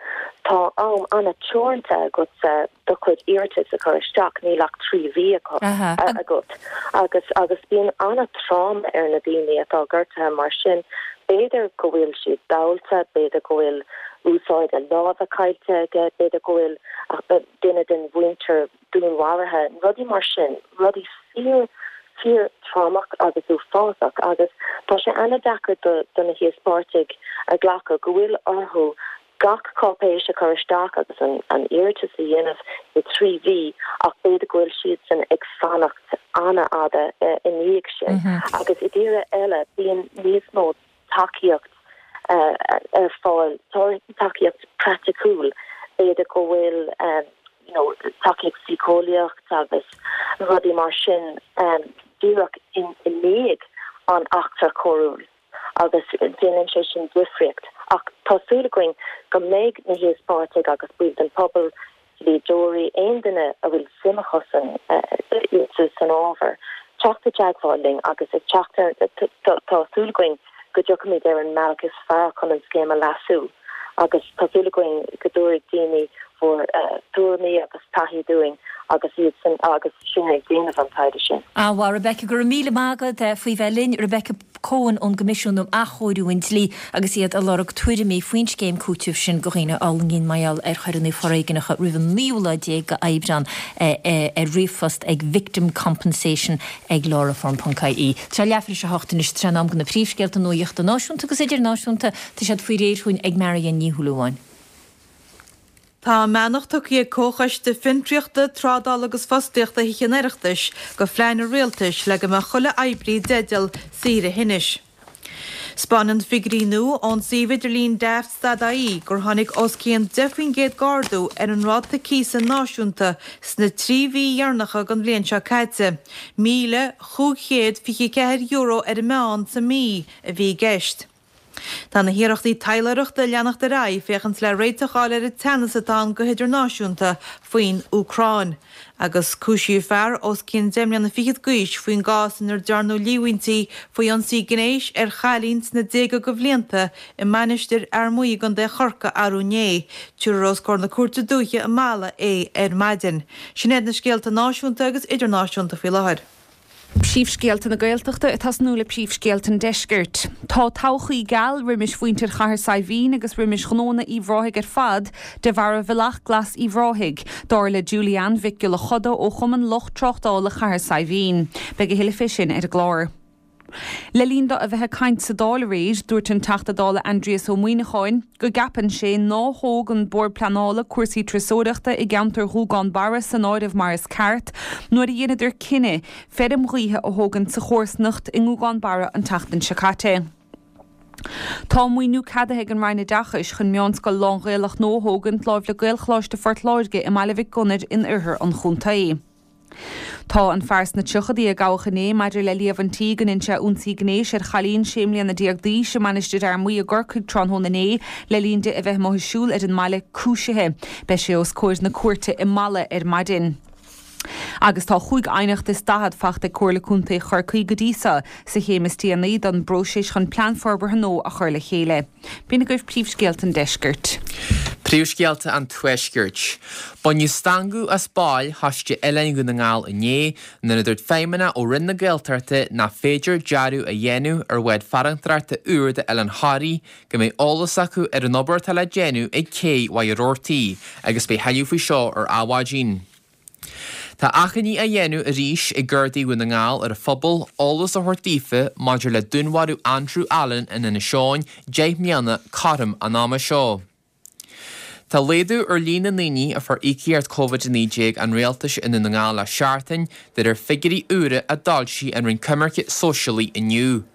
Speaker 9: tá am an-teoranta agatsa do chuid iarratas a chur isteach, níl ach 3 mhí agat agus agus bíonn an-tráma ar na daoine atá gortaithe mar sin, b'fhéidir go bhfuil siad dallta, b'fhéidir go bhfuil úsáid a láimhe caillte aige, b'fhéidir go bhfuil duine den mhuintir dúnmharaithe, rudaí mar sin, rudaí fíor, fíor trámach agus uafásach agus tá sé an-deacair do, do na híospartaigh a ghlacadh go bhfuil orthu gach cáipéis a chur isteach agus an, an iarratas a dhéanamh i dtrí mhí ach b'fhéidir go bhfuil siadsan ag fanacht an-fhada i ndiaidh sin agus i dtíortha eile bíonn níos mó tacaíocht ar fáil, tacaíocht praiticiúil, b'fhéidir go bhfuil you know tacaíocht síceolaíocht agus rudaí mar sin díreach i ndiaidh an eachtra choiriúil agus déanann sé sin difríocht. Ach tá súil againn go mbeidh na híospartaigh agus baill den phobal, dlíodóirí, aon duine a bhfuil suim acusan san ábhar, teacht i dteagmháil linn agus ag teacht ar, tá súil againn go dtiocfaimid ar an mbealach is fearr chun an scéim a leasú agus tá súil againn go dtabharfaidh daoine bhur dtuairimí agus taithí dúinn agus iad san, agus sinn ag déanamh an taighde sin.
Speaker 1: An-mhaith, Rebecca, go raibh míle maith agat faoi bheith linn. Rebecca Coen ón gCoimisiún um Athchóiriú an Dlí agus iad ag lorg tuairimí faoin scéim cúitimh sin do dhaoine a fhulaingíonn mar gheall ar choireanna foréigneacha roimh an naoú lá déag de Aibreán ar ríomhphost ag victimcompensation ag lawreform ponc ie. Tá leathuair tar éis a hocht anois, tá sé in am do na príomhscéalta nuachta náisiúnta agus idirnáisiúnta. Tá siad faoi réir chugainn ag Marion Ní Shúilleabháin.
Speaker 2: Tá a mbeannacht tugtha ag Comhchoiste Fiontraíochta, Trádála agus Fostaíochta Thithe an Oireachtais do phlean an Rialtais le go mbeadh chuile oibrí i dteideal saoire thinnis. 'Spáineann figiúirí nua ón suíomh idirlín Daft.ie gur tháinig os cionn 10% d'ardú ar an ráta cíosa náisiúnta sna 3 mhí dheireanacha den bhliain seo caite. €1,524 ar an meán sa mí a bhí i gceist. Tá na hiarrachtaí taidhleoireachta ag leanacht ar aghaidh féachaint le réiteach a fháil ar an teannas atá ann go hidirnáisiúnta faoin Úcráin. Agus cúisíodh fear os cionn deich mbliana fichead d'aois faoin gcás inar dearnadh líomhaintí faoi ionsaí gnéis ar chailín sna déaga de bhlianta i Mainistir Fhear Maí i gContae Chorcaí arú inné. Tabharfar os comhair na Cúirte Dúiche i Mala é ar maidin. Sin iad na scéalta náisiúnta agus idirnáisiúnta faoi láthair.
Speaker 3: Príomhscéalta na Gaeltachta ag tosnú le príomhscéalta an Deiscirt. Tá todhchaí geal roimis mhuintir Chathair Saidhbhín agus roimis ghnóanna Uíbh Ráthaigh ar fad de bharra Bhealach Glas Uíbh Ráthaigh, dar le Julie Ann Mhic Giolla Choda ó Chumann Lucht Tráchtála Chathair Saidhbhín. Beidh a thuilleadh fé sin ar an gclár. Le linn dó a bheith ag caint sa Dáil aréir, dúirt an Teachta Dála Aindrias Ó Muimhneacháin go gceapann sé ná thóg an Bord Pleanála cúrsaí turasóireachta i gceantar Ghúgán Barra san áireamh mar is ceart nuair a dheineadar cinneadh feirm ghaoithe a thógaint sa chomharsanacht i nGúgán Barra an tseachtain seo caite. Tá maoiniú ceadaithe ag an Roinn Oideachais chun meánscoil lán-Ghaelach nua a thógaint láimh le Gaelcholáiste Phort Láirge i mBaile Mhic Gonair in oirthear an chontae. Tá an fear sna tríochadaí a gabhadh inné maidir le líomhaintí go ndein sé ionsaí gnéis ar chailín sé mbliana déag d'aois i Mainistir Fhear Maí i gCorcaigh tráthnóna inné le linn di a bheith amuigh ag siúl ar an mbaile, cúisithe. Beidh sé os comhair na cúirte i Mala ar maidin. Agus tá chúig aighneacht is 40 fachta ag Comhairle Contae Chorcaí go dtí seo sa chéim is déanaí don bpróiseas chun plean forbartha nua a chur le chéile. B'in agaibh príomhscéalta an deiscirt.
Speaker 4: Príomhscéalta an Tuaiscirt. Baineadh stangadh as baill Choiste Oileáin Dhún na nGall inné nuair a dúirt feidhmeannach ó Roinn na Gaeltachta nach féidir dearadh a dhéanamh ar bhád farantóireachta úr d'Oileán Thoraí go mbeidh eolas acu ar an obair atá le déanamh ag cé Mhachaire Rabhartaigh agus beidh thuilleadh faoi seo ar Adhmhaidin. Tá achainí á dhéanamh arís ag Gardaí Dhún na nGall ar an phobal eolas a thabhairt daofa maidir le dúnmharú Andrew Allen in Inis Eoghain 10 mbliana cothrom an ama seo. Tá laghdú ar líon na ndaoine a fuair íocaíocht Covid-19 an Rialtais i nDún na nGall le seachtain, de réir figiúirí úra a d'fhoilsigh an Roinn Coimirce Sóisialaí inniu.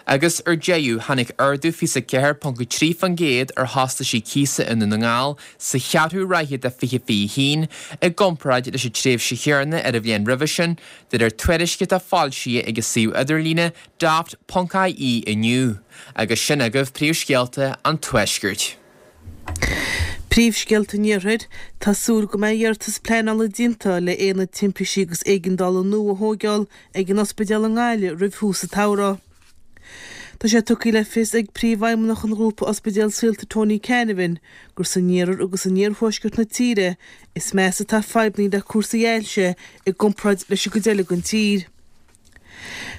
Speaker 4: Agus ar deireadh, tháinig ardú 24.3% ar chostaisí cíosa i nDún na nGall sa cheathrú ráithe de 2021 i gcomparáid leis an tréimhse chéanna ar an bhliain roimhe sin, de réir tuairisce atá foilsithe ag an suíomh idirlíne daft.ie inniu. Agus sin agaibh príomhscéalta an Tuaiscirt.
Speaker 5: Príomhscéalta an Iarthair, Tá súil go mbeidh iarratas pleanála déanta le aonad timpistí agus éigeandála nua a thóigeáil ag an ospidéal i nGaillimh roimh thús an tsamhraidh. Tá sé tugtha le fios ag Príomhfheidhmeannach an Ghrúpa Ospidéal Saolta Tony Canavan gur san iarthar agus in iarthuaisceart na tíre is measa atá fadhbanna le cúrsaí ailse i gcomparáid leis an gcuid eile den tír.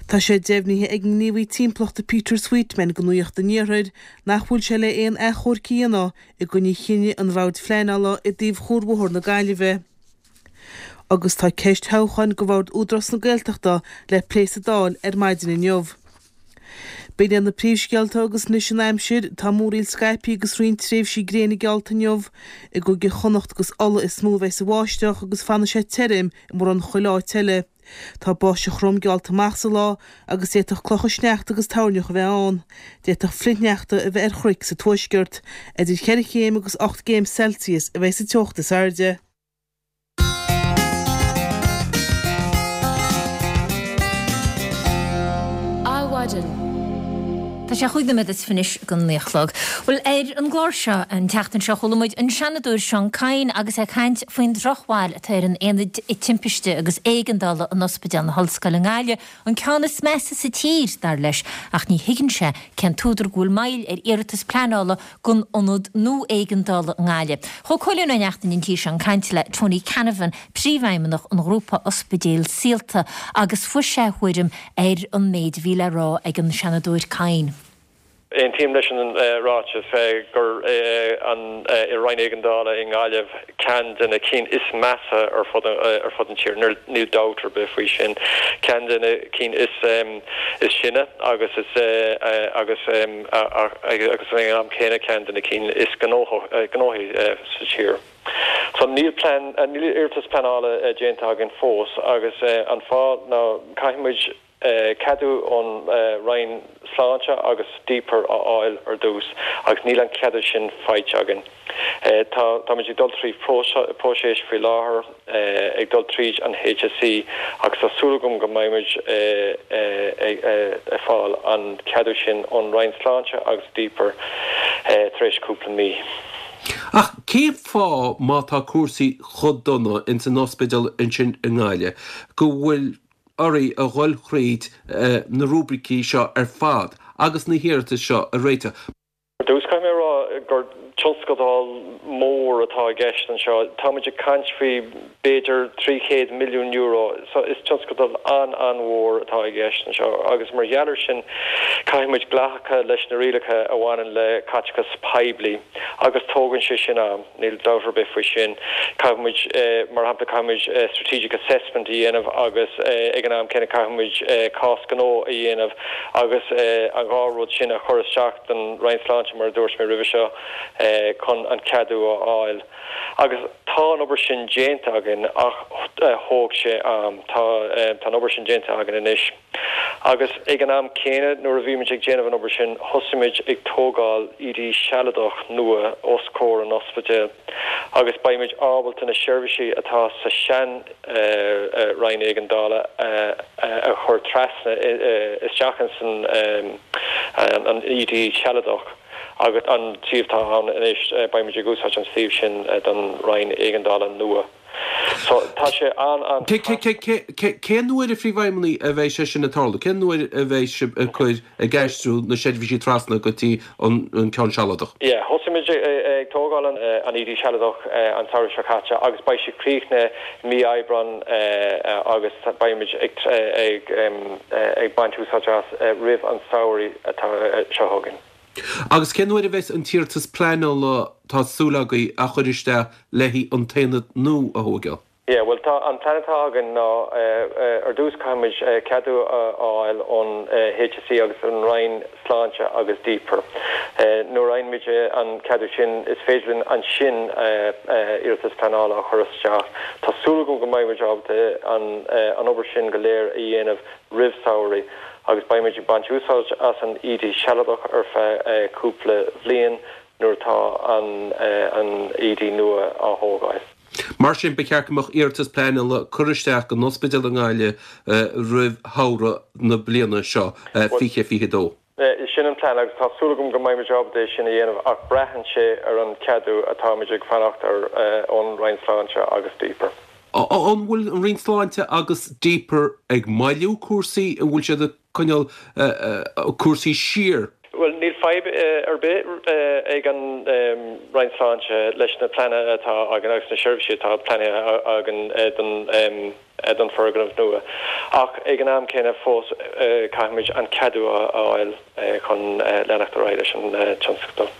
Speaker 5: Tá sé deimhnithe ag an ngníomhaí timpeallachta Peter Sweetman do Nuacht an Iarthair nach bhfuil sé le aon achomharc a dhéanamh i gcoinne chinneadh an Bhoird Phleanála i dtaobh Chuarbhóthar na Gaillimhe. Agus tá ceist thoghcháin do Bhord Údarás na Gaeltachta le plé sa Dáil ar maidin inniu. B'in iad na príomhscéalta agus anois an aimsir, tá múraíl scaipthe agus roinnt tréimhsí gréine geallta inniu. I gCúige Chonnacht agus Uladh is mó a bheas an bháisteach agus fanfaidh sé tirim i mórán chuile áit eile. Tá báisteach throm geallta amach sa lá agus d'fhéadfadh clocha sneachta agus toirneach a bheith ann. D'fhéadfadh flichshneachta a bheith ar chnoic sa tuaisceart. Idir cheithre chéim agus 8 gcéim Celsius a bheidh sa teocht is airde.
Speaker 1: Adhmhaidin. Tá sé chúig nóiméad is fiche anois don naoi a chlog. Bhuel, ar an gclár seo an tseachtain seo chuala muid an Seanadóir Seán Kyne agus é ag caint faoin drochbhail atá ar an Aonad Timpiste agus Éigeandála in Ospidéal na hOllscoile i nGaillimh, an ceann is measa sa tír, dar leis, ach ní thuigeann sé cén t-údar go bhfuil moill ar iarratas pleanála don ionad nua éigeandála i nGaillimh. Chuaigh Cóilín Ó Neachtain an tí seo ag caint le Tony Canavan, Príomhfheidhmeannach an Ghrúpa Ospidéal Saolta agus fuair sé a thuairim ar an méid a bhí le rá ag an Seanadóir Kyne.
Speaker 10: Aontaím leis an ráiteas gur an Roinn Éigeandála i nGaillimh ceann de na cinn is measa ar fud ar fud an tír, níl dabht ar bith faoi sin. Ceann de na cinn is is sine agus is agus agus ag an am céanna ceann de na cinn is gnóthaí sa tír. So níl plean, níl iarratas pleanála déanta againn fós agus an fáth ná caithfidh muid ceadú ón Roinn Sláinte agus DPER a fháil ar dtús agus níl an ceadú sin faighte againn. Tá, táimid ag dul trí próiseas faoi láthair, ag dul tríd an HSE agus tá súil agam go mbeidh muid ag fáil an ceadú sin ón Roinn Sláinte agus DPER tar éis cúpla mí.
Speaker 11: Ach cén fáth, má tá cúrsaí chomh dona ins an ospidéal ansin i nGaillimh, go bhfuil oraibh a dhul thríd na rúibricí seo ar fad agus na hiarratais seo a réiteach?
Speaker 10: Ar dtús, caithfidh mé a rá gur tionscadal mór atá i gceist anseo. Táimid ag caint faoi b'fhéidir €300 milliún. So is tionscadal an-an-mhór atá i gceist anseo agus mar gheall air sin caithfidh muid glacadh leis na rialacha a bhaineann le caiteachas poiblí agus tógann sé sin am, níl dabht ar bith faoi sin. Caithfidh muid, mar shampla, caithfidh muid strategic assessment a dhéanamh agus ag an am céanna caithfidh muid cás gnó a dhéanamh agus an dhá rud sin a chur isteach don Roinn Sláinte mar a dúirt mé roimhe seo chun an ceadú a fháil. Agus tá an obair sin déanta againn ach thóg sé am. Tá an obair sin déanta againn anois. Agus ag an am céanna nuair a bhí muid ag déanamh an obair sin thosaigh muid ag tógáil ED sealadach nua os comhair an ospidéil agus beidh muid ábalta na seirbhísí atá sa sean Roinn Éigeandála a chur trasna isteach ins an ED sealadach. Agus an suíomh atá ann anois, beidh muid ag úsáid an suíomh sin don Roinn Éigeandála nua. So, tá sé an-an.
Speaker 11: Cén uair, a Phríomhfheidhmeannaigh, a bheidh sé sin ag tarlú? Cén uair a bheidh sibh ag cur, ag aistriú na seirbhísí trasna go dtí an ceann sealadach?
Speaker 10: Yeah, thosaigh muid ag tógáil an ED sealadach an samhradh seo caite agus beidh sé críochnaithe mí Aibreán agus beidh muid ag ag baint úsáid as roimh an samhradh atá seo chugainn.
Speaker 11: Agus cén uair a bheas an t-iarratas pleanála, tá súil agaibh, a chur isteach le haghaidh an t-aonad nua a thóigeáil?
Speaker 10: Yeah, bhuel tá, an plean atá againn ná ar dtús caithfidh muid ceadú a fháil ón HSE agus an Roinn Sláinte agus DPER. Nuair a fhaigheann muid an ceadú sin is féidir linn ansin iarratas pleanála a chur isteach. Tá súil agam go mbeidh muid ábalta an obair sin go léir a dhéanamh roimh samhradh agus beidh muid ag baint úsáid as an ED sealadach ar feadh cúpla bhliain nuair atá an ED nua á thógáil.
Speaker 11: Mar sin, ba cheart go mbeadh iarratas pleanála curtha isteach don ospidéal i nGaillimh roimh shamhradh na bliana seo, 2022.
Speaker 10: Sin an plean agus tá súil agam go mbeidh muid ábalta é sin a dhéanamh ach braitheann sé ar an cheadú atáimid ag fanacht air ón Roinn Sláinte agus DPER.
Speaker 11: An bhfuil an Roinn Sláinte agus DPER ag moilliú cúrsaí? An bhfuil siad ag coinneáil cúrsaí siar.
Speaker 10: Bhuel, níl fadhb ar bith ag an Roinn Sláinte leis na pleananna atá againn agus na seirbhísí atá pleanaithe againn don foirgneamh nua. Ach ag an am céanna fós caithfimid an ceadú a fháil chun leanacht ar aghaidh leis an tionscadal.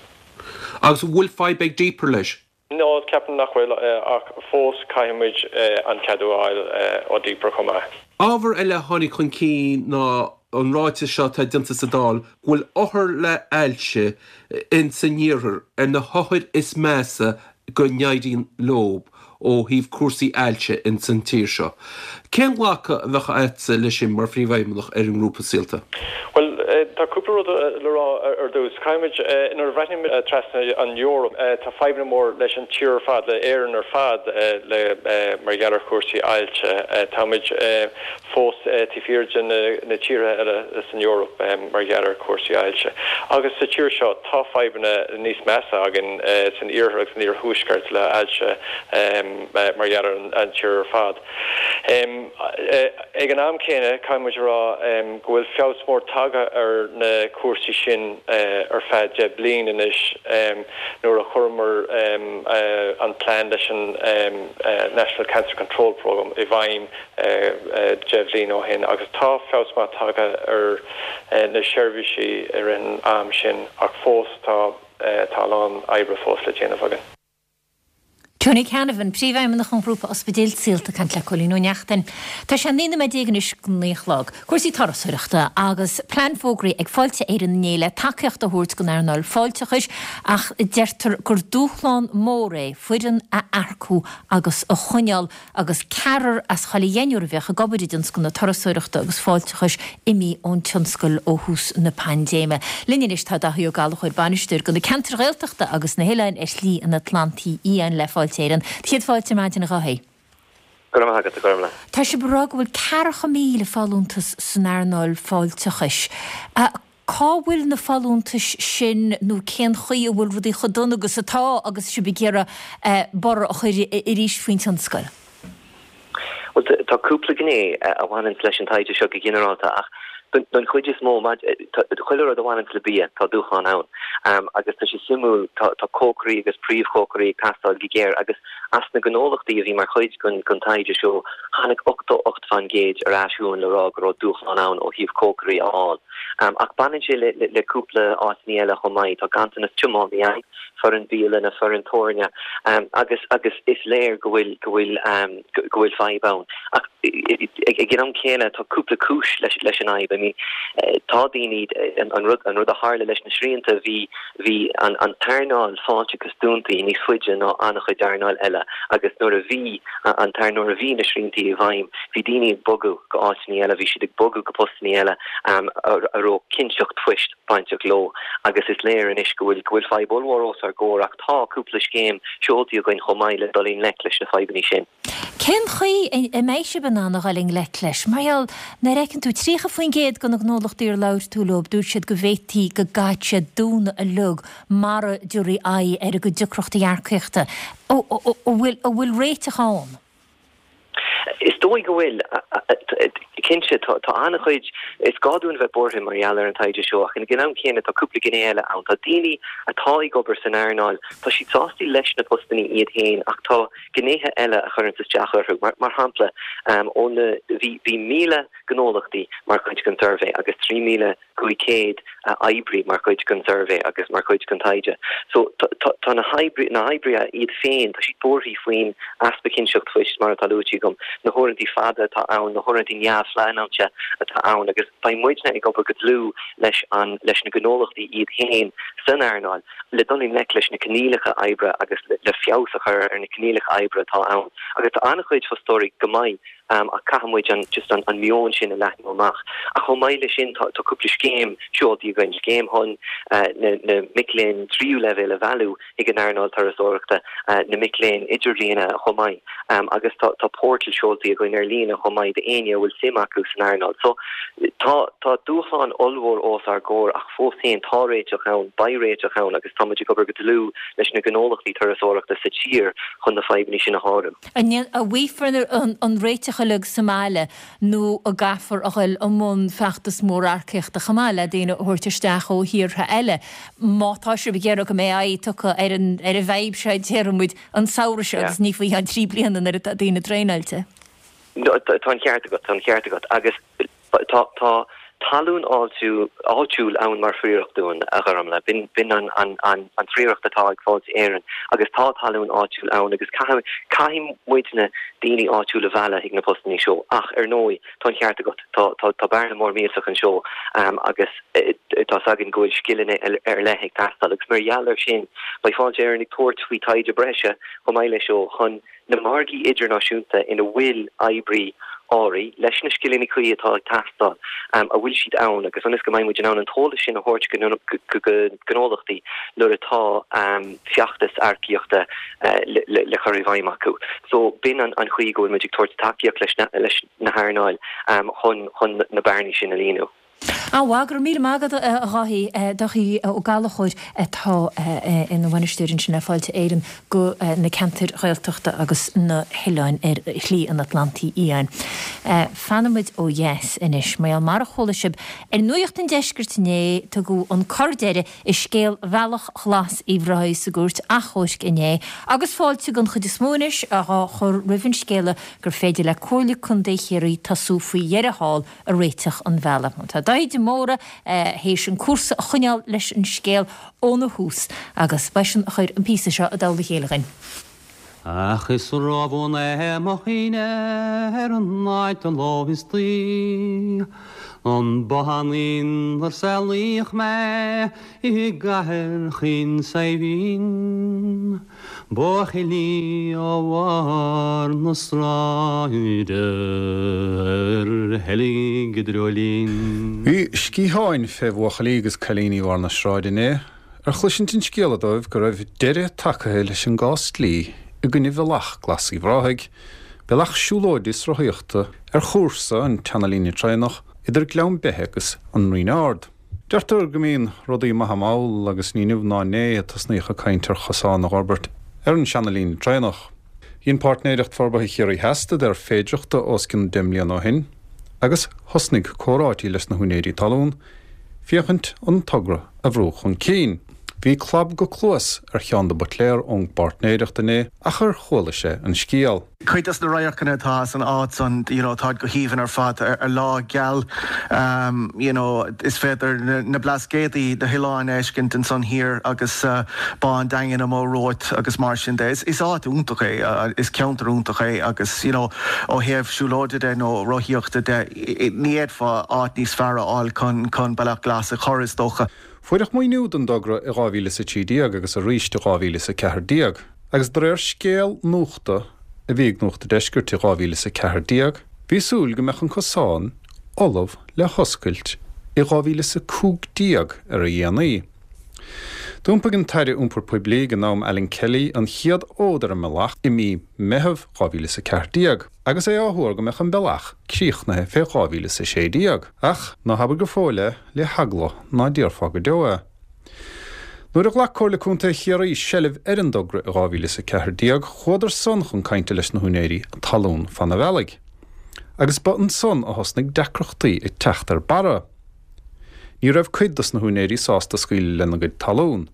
Speaker 11: Agus an bhfuil fadhb ag DPER leis?
Speaker 10: No, ceapaim nach bhfuil, ach fós caithfidh muid an ceadú a fháil ó DPER chomh maith.
Speaker 11: Ábhar eile a tháinig chun cinn ná an ráiteas seo atá déanta sa Dáil go bhfuil othair le hailse ins an iarthar ar na hothair is measa go n-éiríonn leob ó thaobh cúrsaí ailse ins an tír seo. Cén glacadh a bheadh agatsa leis sin mar Phríomhfheidhmeannach ar an ngrúpa Saolta?
Speaker 10: Bhuel, tá cúpla rud le rá ar dtús. Caithfimid, nuair a bhreathnaímid trasna an Eoraip, tá fadhbanna mór leis an tír ar fad, le Éirinn ar fad, le, mar gheall ar chúrsaí ailse. Táimid fós taobh thiar de na tíortha eile san Eoraip mar gheall ar chúrsaí ailse. Agus sa tír seo, tá fadhbanna níos measa againn san iarthar agus san iarthuaisceart le ailse mar gheall ar an tír ar fad. Ag an am céanna, caithfidh muid a rá go bhfuil feabhas mór tagtha ar na cúrsaí sin ar feadh 10 bliain anois nuair a chuireamar an plean leis an National Cancer Control Programme i bhfeidhm 10 bhliain ó shin agus tá feabhas maith tagtha ar na seirbhísí i rith an am sin ach fós tá tá a lán oibre fós le déanamh againn.
Speaker 1: Tony Canavan, Príomhfheidhmeannach an Ghrúpa Ospidéil Saolta ag caint le Cóilín Ó Neachtain. Tá sé 19 nóiméad anois go naoi a chlog. Cúrsaí turasóireachta agus plean fógraithe ag Fáilte Éireann inné le tacaíocht a thabhairt don earnáil fáilteachais ach deirtear gur dúshlán mór é foireann a earcú agus a choinneáil agus ceathrar as chuile dheichniúr a bhíodh ag obair i dtionscal na turasóireachta agus fáilteachais imithe ón tionscal ó thús na paindéime. Linn anois tá Daithí Ó Gallchóir, Bainisteoir do na ceantair Ghaeltachta agus na hoileáin ar Shlí an Atlantaigh Fhiáin le Fáilte Éireann. Céad fáilte ar maidin a Dhaithí.
Speaker 12: Go raibh maith agat, a Ghormlaith.
Speaker 1: Tá sibh ag rá go bhfuil 40,000 folúntas san earnáil fáilteachais. Cá bhfuil na folúntais sin nó cén chaoi a bhfuil rudaí chomh dona agus atá agus sibh ag iarraidh borradh a chur arís faoin tionscal?
Speaker 12: Bhuel, tá cúpla gné a bhaineanns leis an taighde seo go ginearálta ach don chuid is mó, chuile rud a bhaineanns le bia, tá dúshlán ann. Agus tá sé suimiúil, tá cócairí agus príomhchócairí ag teastáil go géar agus as na gnólachtaí a bhí mar chuid den taighde seo, tháinig 88 fán gcéad ar ais chugainn le rá go raibh dúshlán ann ó thaobh cócairí a fháil. Ach baineann sé le cúpla áiteanna eile chomh maith. Tá ganntanas tiománaí ann, foireann bialainne, foireann tabhairne agus agus is léir go bhfuil go bhfuil go bhfuil fadhb ann. Ach ag an am céanna tá cúpla cúis leis leis an fhadhb. I mean tá daoine, an rud an rud a tharla leis na srianta bhí bhí an an t-earnáil fáilteachais dúntaí níos faide ná an-chuid earnáil eile agus nuair a bhí an t nuair a bhí na sriantaí i bhfeidhm bhí daoine ag bogadh go áiteanna eile, bhí siad ag bogadh go postanna eile a raibh cinnteacht phoist bainteach leo agus is léir anois go bhfuil go bhfuil fadhb ollmhór os ár gcomhair ach tá cúpla scéim seoltaí againn chomh maith le dul i ngleic leis na fadhbanna sin.
Speaker 1: Cén chaoi a mbeidh sibh in ann a dhul i ngleic leis? Mar gheall, nuair a fheiceann tú, 30% de na gnólachtaí ar labhair tú leo, dúirt siad go bhféadfaí go gcaithfidh siad dúnadh uilig mara dtabharfaí aghaidh ar a gcuid deacrachtaí earcaíochta. An bhfuil réiteach ann?
Speaker 12: Is. dóigh go bhfuil. Cinnte, tá an-chuid, is gá dúinn bheith buartha mar gheall ar an taighde seo ach ag an am céanna tá cúpla gné eile ann. Tá daoine atá ag obair san earnáil, tá siad sásta leis na postannaí iad féin ach tá gnéithe eile a chuireanns isteach orthu. Mar shampla, ó na, bhí 1,000 gnólachtaí mar chuid den suirbhé agus 3,000 500 oibrí mar chuid den suirbhé agus mar chuid den taighde. So tá na hoibrithe iad féin, tá siad buartha faoin easpa cinnteacht phoist, mar atá luaite agam, na huaireanta fada atá ann, na huaireanta neamhphleanáilte atá ann agus beidh muidne ag obair go dlúth leis an leis na gnólachtaí iad féin san earnáil le dul i ngleic leis na coinníollacha oibre agus le feabhas a chur ar na coinníollacha oibre atá ann. Agus tá an-chuid fostóirí go maith ach caithfidh muid an just an an meon sin a leathnú amach. Ach chomh maith leis sin tá tá cúpla scéim seoltaí againn, scéim chun na na mic léinn tríú leibhéal a mhealladh chuig an earnáil turasóireachta, na mic léinn idirbhliana chomh maith agus tá tá portal seoltaí againn ar líne chomh maith d'éinne a bhfuil suim acu san earnáil. So tá tá dúshlán ollmhór os ár gcomhair ach fós féin tá réiteach ann, beidh réiteach ann agus tá muid ag obair go dlúth leis na gnólachtaí turasóireachta sa tír chun na fadhbanna sin a shárú.
Speaker 1: An bhfaighfear an réiteach uilig sa mbaile nó an gcaithfear a dhul i mbun feachtas mór earcaíochta chomh maith le daoine a thabhairt isteach ó thíortha eile má tá sibh ag iarraidh go mbeidh aghaidh tugtha ar an ar an bhfadhb seo déarfaidh muid an samhradh seo agus ní faoi cheann 3 bliana nuair atá daoine traenáilte.
Speaker 12: Tá an ceart agat, tá an ceart agat agus Tá tá talún áitiúil ann mar phríoracht dúinn, a Ghormlaith. B'in b'in an an an an phríoracht atá ag Fáilte Éireann agus tá talún áitiúil ann agus caithfidh caithfidh muidne daoine áitiúla a mhealladh chuig na postannaí seo. Ach ar ndóigh, tá an ceart agat, tá tá tá bearna mór millteach anseo agus tá 's againn go bhfuil scileanna ar leith ag teastáil agus mar gheall air sin beidh Fáilte Éireann ag tabhairt faoi taighde breise chomh maith leis seo chun na margaí idirnáisiúnta ina bhfuil oibrí áirithe leis na scileanna cuí atá ag teastáil, an bhfuil siad ann agus ionas go mbeidh muid in ann an t-eolas sin a thabhairt go gnólachtaí nuair atá feachtas earcaíochta le cur i bhfeidhm acu. So b'in an chaoi go bhfuil muid ag tabhairt tacaíocht leis na hearnáil chun na bearnaí sin a líonadh.
Speaker 1: An-mhaith, go raibh míle maith agat a Dháithí, Dáithí Ó Gallchóir atá ina bhainisteoir ansin le Fáilte Éireann do na ceantair Ghaeltachta agus na hoileáin ar Shlí an Atlantaigh Fhiáin. Fanfaidh muid ó dheas anois, mar gheall mar a chuala sibh ar Nuacht an Deiscirt inné, tugadh an cor deiridh i scéal Bhealach Ghlas Uíbh Ráthaigh sa gCúirt Achomhairc inné agus fáilte den chuid is mó anois á chur roimh an scéala gur féidir le Comhairle Contae Chiarraí tosú faoi dheireadh thall ag réiteach an bhealaigh. Tá Dáithí de Mórdha théis an cúrsa a choinneáil leis an scéal óna thús agus b'eisean a chuir an píosa seo i dtoll a chéile dhuinn.
Speaker 13: Ach is róbhuan é mo chuimhne ar an áit an lá istoíche, An bothán inar saolaíodh mé i gcathair chaoin Saidhbhín. Buachaillí ó bharr na sráide ar sheilg i
Speaker 6: dreoilín. Bhí sciatháin fé bhuachaillí agus cailíní bharr na sráide inné ar chloisint an scéala dóibh go raibh deireadh tagtha leis an gcás dlí i gcoinne Bhealach Glas Uíbh Ráthaigh, bealach siúlóide is rothaíochta ar chúrsa an tseana-líne traenach idir Gleann Beithe agus an Rinn Ard. Deirtear go mbíonn rudaí maithe mall agus ní inniu ná inné a tosnaíodh ag caint ar chosán a dh'fhorbairt ar an seana-líne traenach. Dhein Páirtnéireacht Forbartha Chiarraí Theas staidéar féidireachta os cionn 10 mbliana ó shin agus thosnaigh comhráití leis na húinéirí talún féachaint an togra a bhrú chun cinn. Bhí clab go cluas ar Sheán de Buitléar ón bPáirtnéireacht inné ach ar chuala sé an scéal.
Speaker 14: Cuid dos na radharcanna atá san áit san, you know, táid go haoibhinn ar fad. Ar lá geal, you know, is féidir na Blascaodaí, na hoileáin a fheiscint ansan thiar agus Bá an Daingin amuigh romhat agus mar sin de. Is áit iontach é, is ceantar iontach é agus, you know, ó thaobh siúlóide de nó rothaíochta de, ní fhéadfá áit níos fearr a fháil chun, chun Bealach Glas a chur, is dócha.
Speaker 6: Fuaireadh maoiniú don dtogra i 2013 agus arís i 2014. Agus de réir scéal nuachta a bhí ag Nuacht an Deiscirt i 2014, bhí súil go mbeadh an cosán ullamh le hoscailt i 2015 ar a dhéanaí. D'iompaigh an tAire Iompair Poiblí ag an am Alan Kelly an chéad fhód ar an mbealach i mí Meitheamh 2014 agus é á thuar go mbeadh an bealach críochnaithe fé 2016. Ach ná habair go fóill é le heagla ná déarfá go deo é. Nuair a ghlac Comhairle Contae Chiarraí seilbh ar an dtogra i 2014, chuadar san chun cainte leis na húinéirí talún fan an bhealaigh. agus ba ansan a thosnaigh deacrachtaí ag teacht ar barra. Ní raibh cuid dos na húinéirí sásta scaoileadh lena gcuid talún,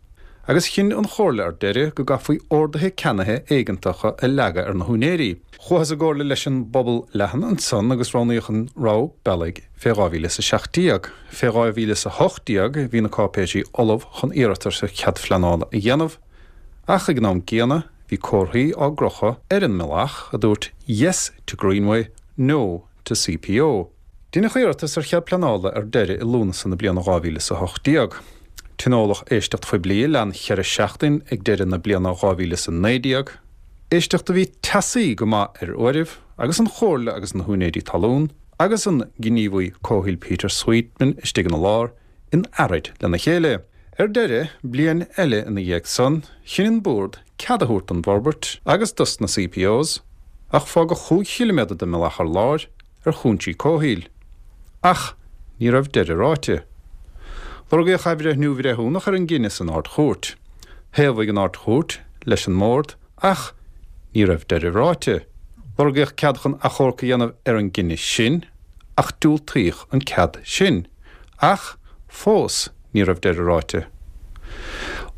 Speaker 6: agus chinn an Chomhairle ar deireadh go gcaithfí orduithe ceannaithe éigeantacha a leagadh ar na húinéirí. Chuathas i gcomhairle leis an bpobal leathan ansan agus roghnaíodh an rogha bealaigh fé 2017. Fé 2018 bhí na cáipéisí ullamh chun iarratas ar chead phleanála a dhéanamh, ach ag an am gcéanna bhí comharthaí á gcrochadh ar an mbealach a dúirt 'Yes to Greenway, No to CPO. Deineadh iarratas ar chead pleanála ar deireadh i Lúnasa na bliana 2018. Tionóladh éisteacht phoiblí a lean cheithre seachtain ag deireadh na bliana 2019, éisteacht a bhí teasaí go maith ar uairibh agus an Chomhairle agus na húinéirí talún agus an gníomhaí comhshaoil Peter Sweetman istigh ina lár in earraid lena chéile. Ar deireadh, bliain eile ina dhiaidh san, chinn an Bord cead a thabhairt don bhforbairt agus dos na CPOs, ach fágadh chúig chiliméadar den mbealach ar lár ar chúinsí comhshaoil. Ach ní raibh deireadh ráite. Lorgaíodh athbhreithniú bhreithiúnach ar an gcinneadh san Ard-Chúirt. Thaobhaigh an Ard-Chúirt leis an mBord ach ní raibh deireadh ráite. Lorgaíodh cead chun achomharc a dhéanamh ar an gcinneadh sin ach diúltaíodh an cead sin. Ach fós ní raibh deireadh ráite.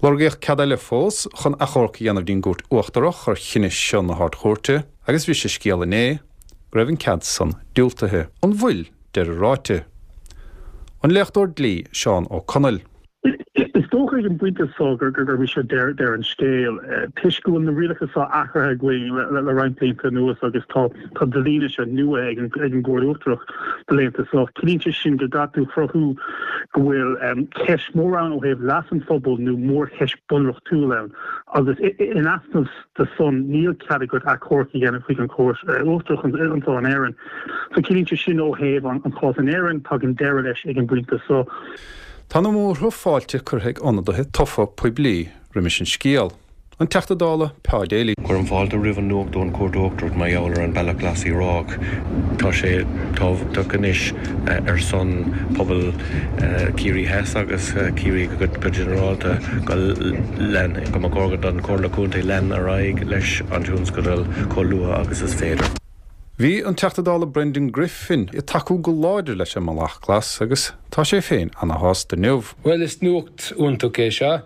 Speaker 6: Lorgaíodh cead eile fós chun achomharc a dhéanamh dtí'n gCúirt Uachtarach ar chinneadh seo na hArd-Chúirte agus bhris an scéal inné go raibh an cead san diúltaithe. An bhfuil deireadh ráite? An léachtóir dlí Seán Ó Conaill.
Speaker 15: Is dócha ag an bpointe seo gurb é seo deireadh an scéil, toisc go bhfuil na rialacha seo athraithe againn le roinnt blianta anuas agus tá dlí seo nua ag an gCúirt Uachtarach na laethanta seo. Ciallaíonn sé sin go gcaithfidh tú cruthú go bhfuil ceist mhór ann ó thaobh leas an phobail nó mórcheist bunreachtúil ann agus in easnamh de san níl cead agat achomharc a dhéanamh chuig an Chúirt Uachtarach anseo in Éirinn. So ciallaíonn sé sin ó thaobh an chás in Éirinn, tagann deireadh leis ag an bpointe seo.
Speaker 6: Tá na múrtha fáilte curtha ag ionadaithe tofa poiblí roimis an scéal, an Teachta Dála Pa Daly.
Speaker 16: Cuirim fáilte roimh an nuacht ón Chúirt Uachtarach mar gheall ar an Bealach Glas Uíbh Ráthach. Tá sé tábhachtach anois ar son pobal Ciarraí Theas agus Ciarraí go ginearálta go lean, go mba chóir don Chomhairle Contae lean ar aghaidh leis an tionscadal chomh luath agus is féidir.
Speaker 6: Bhí an Teachta Dála Brendan Griffin ag tacú go láidir leis an mBealach Glas agus tá sé féin ana-shásta inniu.
Speaker 17: Bhuel, is nuacht iontach é seo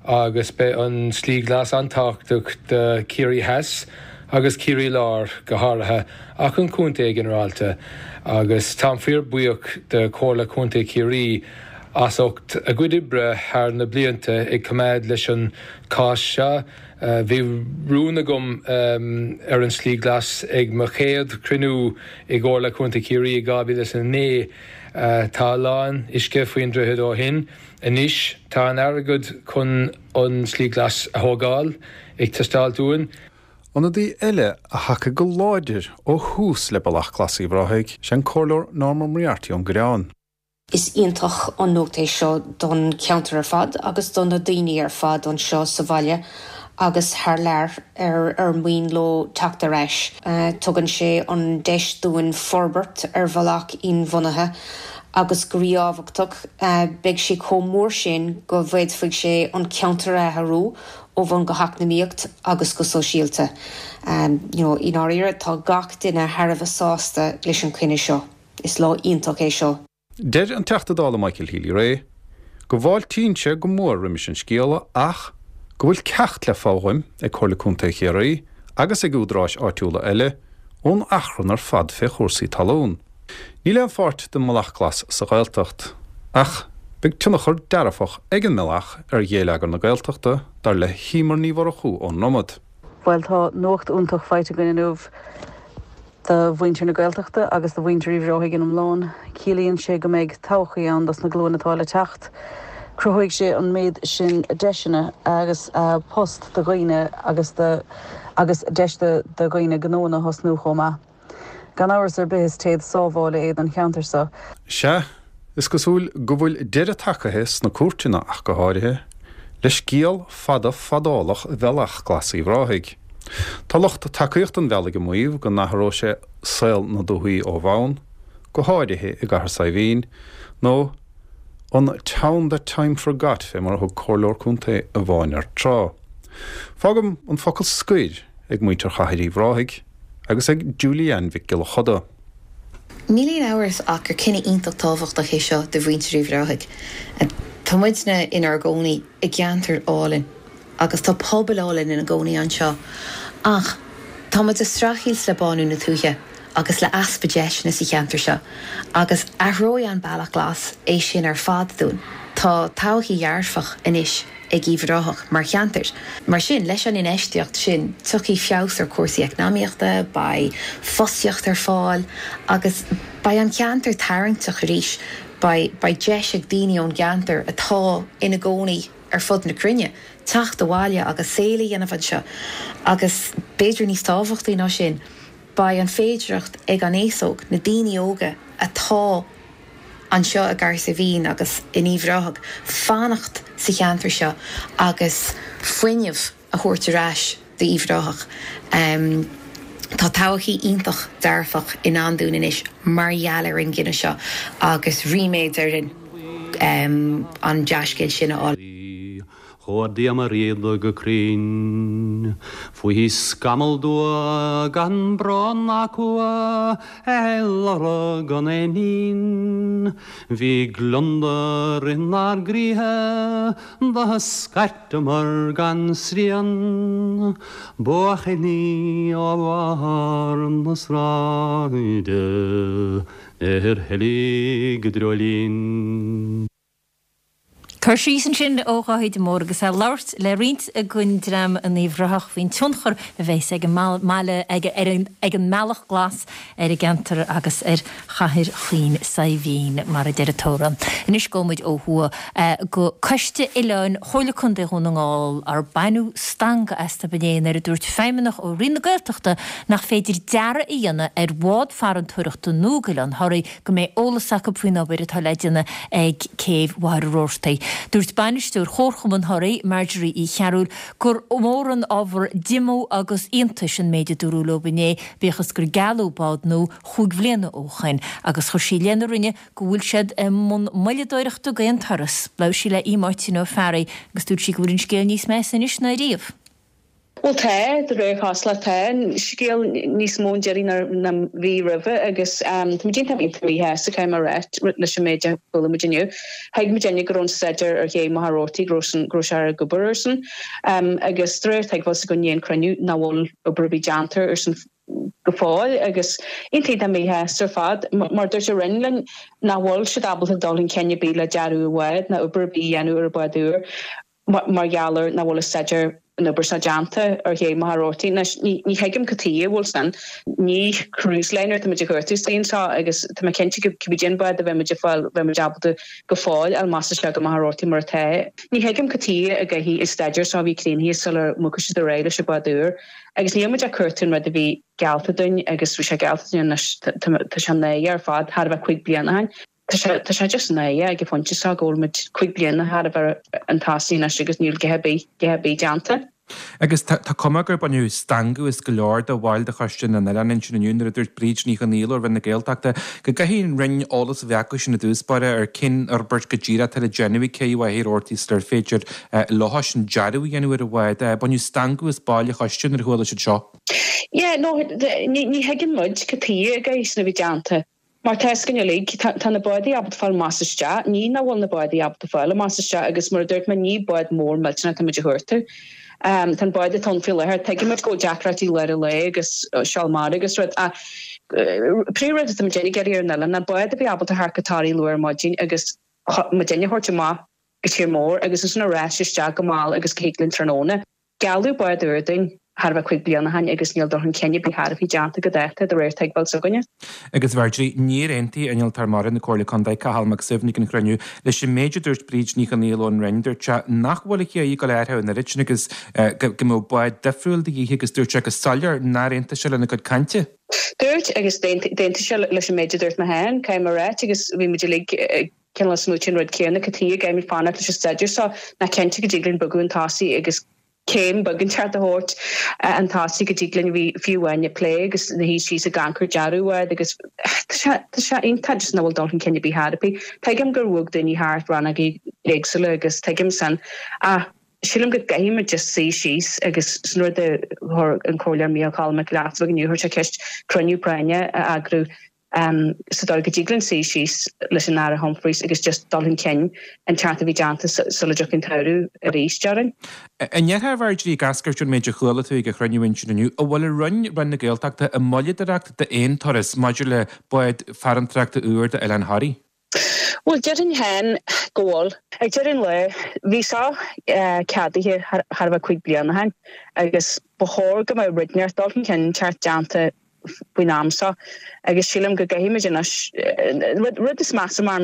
Speaker 17: agus beidh an Slí Ghlas an-tábhachtach do Chiarraí Theas agus Ciarraí Láir go háirithe ach an contae ginearálta agus táim fíor buíoch de Chomhairle Contae Chiarraí as ucht a gcuid oibre thar na blianta ag coimeád leis an cás seo. Bhí rún agam ar an Slí Glas ag mo chéad chruinniú i gComhairle Contae Chiarraí i 2009. Tá a lán uisce faoin droichead ó shin. Anois tá an airgead chun an Slí Glas a thógáil ag teastáilt uainn.
Speaker 6: Ionadaí eile a thacaigh go láidir ó thús le Bealach Glas Uíbh Ráthaigh is ea an Comhairleoir Norma Moriarty ón gCoireán.
Speaker 18: Is iontach an nuacht é seo don cheantar ar fad agus do na daoine ar fad anseo sa bhaile agus thar lear ar ar mian leo teacht ar ais. Tugann sé an deis dúinn forbairt ar bhealach inbhuanaithe agus go ríthábhachtach, beidh sé chomh mór sin go bhféadfaidh sé an ceantar a athrú ó bhonn go heacnamaíocht agus go sóisialta. You know, i ndáiríre, tá gach duine thar a bheith sásta leis an chinneadh seo. Is lá iontach é seo.
Speaker 6: Deir an Teachta Dála Michael Healy-Rae go bhfáiltíonn sé go mór roimis an scéala ach go bhfuil ceacht le foghlaim ag Comhairle Contae Chiarraí agus ag údaráis áitiúla eile ón achrann ar fad fé chúrsaí talún. Níl aon pháirt den mBealach Glas sa Ghaeltacht ach beidh tionchar dearfach ag an mbealach ar ghéilleagar na Gaeltachta, dar le hEmer Ní Mhurchú ón nDromad.
Speaker 19: Bhuel tá nuacht iontach faighte againn inniu do mhuintir na Gaeltachta agus do mhuintir Uíbh Ráthaigh in iomlán. Ciallaíonn sé go mbeidh todhchaí ann dos na glúin atá le teacht. Cruthóidh sé an méid sin deiseanna agus post do dhaoine agus do agus deis do dhaoine gnóanna a thosnú chomh maith. Gan amhras ar bith is téad sábhála é don cheantar seo.
Speaker 6: Sea, is cosúil go bhfuil deireadh tagaithe sna cúirteanna ach go háirithe, le scéal fada fadálach Bhealach Glas Uíbh Ráthaigh. Tá lucht tacaíochta an bhealaigh ag maíomh go n-athróidh sé saol na dúthaí ó bhonn, go háirithe i gCathair Saidhbhín, nó an 'town that time forgot' fé mar a thug comhairleoir contae amháin air tráth. Fágaim an focal scoir ag muintir Chathair Uíbh Ráthaigh. agus ag Julie Ann Mhic Giolla Choda.
Speaker 20: Níl aon amhras ach gur cinneadh iontach tábhachtach é seo do mhuintir Uíbh Ráthaigh. Tá muidne inár gcónaí i gceantar álainn agus tá pobal álainn ina gcónaí anseo ach tá muid ag streachailt le bánú na tuaithe agus le easpa deiseanna sa cheantar seo agus athróidh an Bealach Glas é sin ar fad dúinn. Tá todhchaí dhearfach anois ag Uíbh Ráthach mar cheantar. Mar sin, leis an infheistíocht sin, tiocfaidh feabhas ar chúrsaí eacnamaíochta, beidh fostaíocht ar fáil agus beidh an ceantar tarraingteach arís. Beidh beidh deis ag daoine ón gceantar atá ina gcónaí ar fud na cruinne teacht abhaile agus saol a dhéanamh anseo agus, b'fhéidir níos tábhachtaí ná sin, beidh an féidireacht ag an aos óg, na daoine óga atá anseo i gCahersiveen agus in Uíbh Ráthach fanacht sa cheantar seo agus fuinneamh a thabhairt ar ais d'Uíbh Ráthach. Tá todhchaí iontach dearfach i ndán dúinn anois mar gheall ar an gcinneadh seo agus ríméad orainn an dea-scéal sin a fháil.
Speaker 13: Chuardaíomar iad go cruinn. Faoi scamall dubh gan brón ná cumha ar lorg an éinín. Bhí gliondar inár gcroíthe do scairteamar gan srian. Buachaillí ó bharr na sráide ar heilig i dreoilín.
Speaker 1: Cur síos ansin ó Dháithí de Mór agus é ag labhairt le roinnt den dream in Uíbh Ráthach faoin tionchar a bheas ag an mbaile, ag an mBealach Glas ar an gceantar agus ar Chathair Chaoin Saidhbhín, mar a deir an t-amhrán. Anois gabhfaidh muid ó thuaidh go Coiste Oileáin Chomhairle Contae Dhún na nGall, ar baineadh stangadh astu inné nuair a dúirt feidhmeannach ó Roinn na Gaeltachta nach féidir dearadh a dhéanamh ar bhád farantóireachta nua d'Oileán Thoraí go mbeidh eolas acu faoin obair atá le déanamh ag céibh Mhachaire Rabhartaigh. Dúirt bainisteoir Chomharchumann Thoraí, Marjorie Uí Chearúil, gur mór an ábhar diomú agus iontais an méid a dúradh leo inné, bíodh is gur gealladh bád nua chúig bhliana ó shoin, agus chuir sí i leith na Roinne go bhfuil siad i mbun moilleadóireachta d'aon turas. Labhair sí le Aodh Máirtín Ó Fearraigh agus dúirt sí go bhfuil an scéal níos measa anois ná riamh.
Speaker 21: Bhuel tá, de réir chosúlacht tá an scéal níos mó i ndáiríre ná bhí roimhe agus tá muid iontach iontach míshásta caithfidh mé a rá leis an méid a chuala muid inniu. Thuig muidinne go raibh an staidéar ar ché Mhachaire Rabhartaigh, go raibh san, go raibh sé ar ag obair ar san agus de réir tuigbheáil s'againn i ndiaidh an cruinniú nach bhfuil obair ar bith déanta ar san go fóill agus iontach iontach míshásta ar fad mar dúirt an Roinn linn nach bhfuil siad ábalta dul chun cinn ar bith le dearadh an bháid ná obair ar bith a dhéanamh ar an bhád úr. mar gheall ar nach bhfuil an staidéar an obair seo déanta ar ché Mhachaire Rabhartaigh. Anois, ní thuigim cad chuige a bhfuil sin. Ní cruise liner atá muid ag cuartú istigh anseo agus tá mé cinnte go cibé cén bád a bheidh muid ag fáil, bheidh muid ábalta go fóill fháil amach is isteach go Machaire Rabhartaigh mar atá. Ní thuigim cad chuige a gcaithfidh an staidéar seo a bheith críochnaithe sular mbogfaidh siad ar aghaidh leis an bád úr. Agus níl muid ag cuartú an rud a bhí geallta dúinn agus bhí sé geallta dúinn anois, tá sé náireach ar fad, thar a bheith 5 bliana ó shin. Tá sé, tá sé just náireach ag an phointe seo go bhfuil muid 5 bliana thar a bheith chun tosaigh anois agus níl a dhath ar bith, a dhath ar bith déanta.
Speaker 22: Agus tá, tá cuma gur baineadh stangadh as go leor de bhaill de Choiste na nOileán ansin inniu nuair a dúirt Bríd Ní Chonghaile ó Roinn na Gaeltachta go gcaithfidh an Roinn eolas a bheith acu sin i dtús báire ar cén fhorbairt go díreach atá le déanamh ag cé Mhachaire Rabhartaigh sular féidir leo sin dearadh a dhéanamh ar an bhád. Baineadh stangadh as baill an choiste nuair a chuala siad seo.
Speaker 21: Yeah, no, ní, ní thuigeann muid cad chuige a gcaithfidh sin a bheith déanta. Mar tá fhios againn uilig, tá na bádaí ábalta fáil amach is isteach. Ní nach bhfuil na bádaí ábalta fáil amach is isteach agus mar a dúirt mé, ní bád mór millteanach atá muid a chuartú. Tá an bád atá ann faoi láthair, tuigimid go bhfuil deacrachtaí lár an lae agus seol mara agus rud ach príomhrud atá muid ag iarraidh ar an oileán ná bád a bheith ábalta theacht go Toraigh luath ar maidin agus muidinne a thabhairt amach go tír mór agus ansin ar ais isteach go mall agus go thig linn tráthnóna. Gealladh bád úr dúinn thar a bheith 5 bliana ó shin agus níl dul chun cinn ar bith thar a bheith déanta go dáta, de réir tuigbheáil s'againne.
Speaker 22: Agus Mharjorie, níor aontaigh Innealtóir Mara na Comhairle Contae, Cathal Mac Suibhne ag an chruinniú leis an méid a dúirt Bríd Ní Chonghaile ón Roinn. Dúirt sé nach bhfuil an ché ag dul athraithe an oiread sin agus go mbeadh bád difriúil de dhíth agus dúirt sé go soiléir nár aontaigh sé lena cuid cainte.
Speaker 21: Dúirt agus d'aontaigh sé leis an méid a dúirt mé féin, caithfidh mé a ráit, agus bhí muid uilig ag cineál ag smaoitiú an rud céanna, cad chuige a gcaithfimid fanacht leis an staidéar seo, nach cinnte go dtig linn bogadh chun tosaigh agus céim beag inteacht a thabhairt chun tosaigh go dtig linn fiú amháin ag plé agus ina shuí síos ag amharc ar dearadh bhád agus tá sé tá sé iontach just nach bhfuil dul chun cinn ar bith thar ar bith. Tuigim gur bhog daoine thart rannógaí éagsúla agus tuigim san ach sílim go gcaithfimid just suí síos agus sin rud a chuir an Comhairleoir Micheál Cholm Mac Giolla Easbuig inniu, chuir sé ceist cruinniú práinne a eagrú. Sa dóigh go dtig linn suí síos leis an Aire Humphreys agus just dul chun cinn an ceart a bhí déanta sula dtiocfaidh an tsamhradh arís, déarfainn.
Speaker 22: An ndéarfá, a Mharjorie, ag eascairt ón méid a chuala tú ag an chruinniú ansin inniu, an bhfuil an Roinn, Roinn na Gaeltachta, i moilleadóireacht d'aon turas maidir le bád farantóireachta úr d'Oileán Thoraí?
Speaker 21: Bhuel, déarfainn féin go bhfuil. Ag deireadh an lae, bhí seo ceadaithe chóir a bheith 5 bliana ó shin agus ba chóir go mbeadh rud inteacht, dul chun cinn inteacht déanta faoin am seo agus sílim go gcaithfidh muid anois, rud is measa mar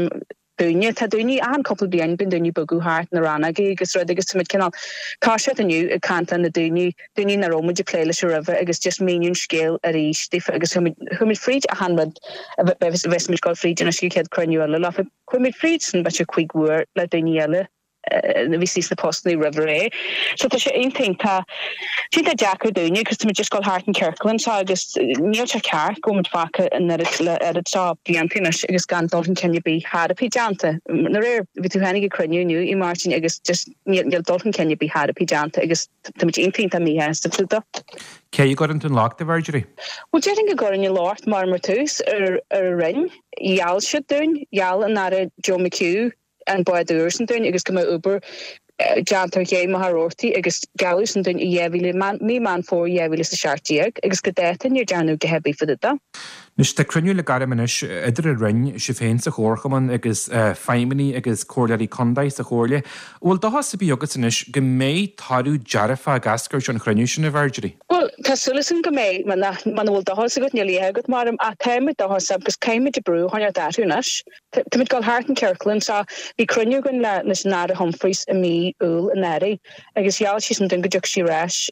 Speaker 21: dúinne, tá daoine, achan cúpla bliain bíonn daoine ag bogadh thart na rannógaí agus rud agus tá muid cineál toiseacht inniu ag caint le na daoine, daoine nach raibh muid ag plé leis roimhe agus just míniú an scéal arís daofa agus chuaigh muid, chuaigh muid fríd achan rud a bheas muid ag dul fríd anois ag an chéad cruinniú eile leofa. Chuaigh muid fríd san b'fhéidir chuig uair le daoine eile a bhí sna postanna roimh ré. So tá sé iontach iontach iontach deacair dúinne agus tá muid just ag dul thart in ciorcal anseo agus níl sé ceart go bhfuil muid fágtha an oiread le oiread seo blianta anois agus gan dul chun cinn ar bith chor ar bith déanta. Aréir bhí tú féin ag an cruinniú inniu a Mháirtín agus just níl níl dul chun cinn ar bith chor ar bith déanta agus Tá muid iontach iontach míshásta fá dtaobh de.
Speaker 22: Cé a gcuireann tú an locht, a Mharjorie?
Speaker 21: Bhuel, déarfainn go gcuirfinn an locht mar mar tús ar ar an Roinn. Gheall siad dúinn, gheall an Aire Joe McHugh an bád úr san dúinn agus go mbeadh obair déanta ar ché Mhachaire Rabhartaigh agus gealladh san dúinn i 2000, mí Meán Fómhair 2017 agus go dáta níor dearnadh a dhath ar bith fá dtaobh de.
Speaker 22: Anois, tá cruinniú le gairim anois idir an Roinn, sibh féin sa Chomharchumann agus feidhmeannaigh agus comhairleoirí contae sa Chomhairle. An bhfuil dóchas ar bith agat anois go mbeidh toradh dearfach ag eascairt ón chruinniú sin, a Mharjorie?
Speaker 21: Bhuel, tá súil agam go mbeidh. Muna bhfuil dóchas agat, níl a dhath agat, mar ach táimid dóchasach agus caithfimid brú a choinneáil orthu anois. Táimid ag dul thart in ciorcal anseo. Bhí cruinniú againn le leis an Aire Humphreys i mí Iúil anuraidh agus gheall sí san dúinn go dtiocfadh sí ar ais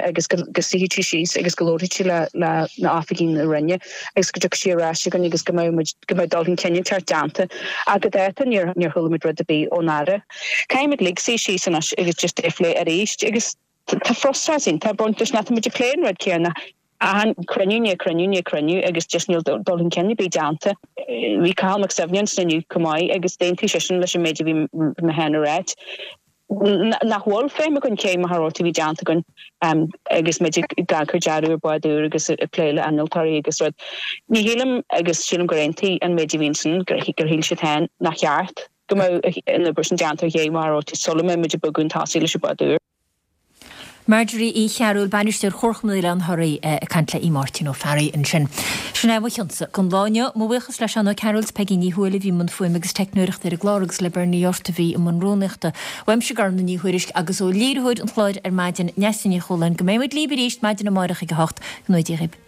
Speaker 21: agus go go suífeadh sí síos agus go labharfadh sí le le na oifigigh na Roinne agus go dtiocfadh sí ar ais chugainn agus go mbeadh muid go mbeadh dul chun cinn inteacht déanta. Ach go dáta níor níor chuala muid rud ar bith ón Aire. Caithfimid uilig suí síos anois agus just é a phlé arís agus tá frustrachas iontach ag baint leis nach táimid ag plé an rud céanna achan cruinniú i ndiaidh cruinniú i ndiaidh cruinniú agus just níl dul chun cinn ar bith déanta. Bhí Cathal Mac Suibhne ansin inniu chomh maith agus d'aontaigh seisean leis an méid a bhí mé féin a ráit nach bhfuil feidhm againn cé Machaire Rabhartaigh a bhí déanta againn agus muid ag cur dearadh ar bád úr agus ag plé le innealtóirí agus rud. Ní shílim agus sílim gur aontaigh an méid a bhí ansin gur shíl siad féin nach cheart go mbeadh an obair sin déanta ar ché Mhachaire Rabhartaigh sula mbeidh muid ag bogadh chun tosaigh leis an bád úr.
Speaker 1: Marjorie Uí Chearúil, Bainisteoir Chomharchumann Oileán Thoraí, ag caint le Máirtín Ó Fearraigh ansin. Sin é mo chionsa don lá inniu. Mo bhuíochas le Seán Ó Cearúil 's Peigí Ní Thuathail a bhí i mbun fuaime agus teicneoireachta ar an gclár agus le Bernie Ort a bhí i mbun rúnaíochta. Uaimse Gormfhlaith Ní Thuairisg agus ó léiritheoir an chláir ar maidin, Neasa Ní Chualáin, go mbeidh muid libh arís maidin amárach ag 8. Go ngnóthaí Dia dhaoibh.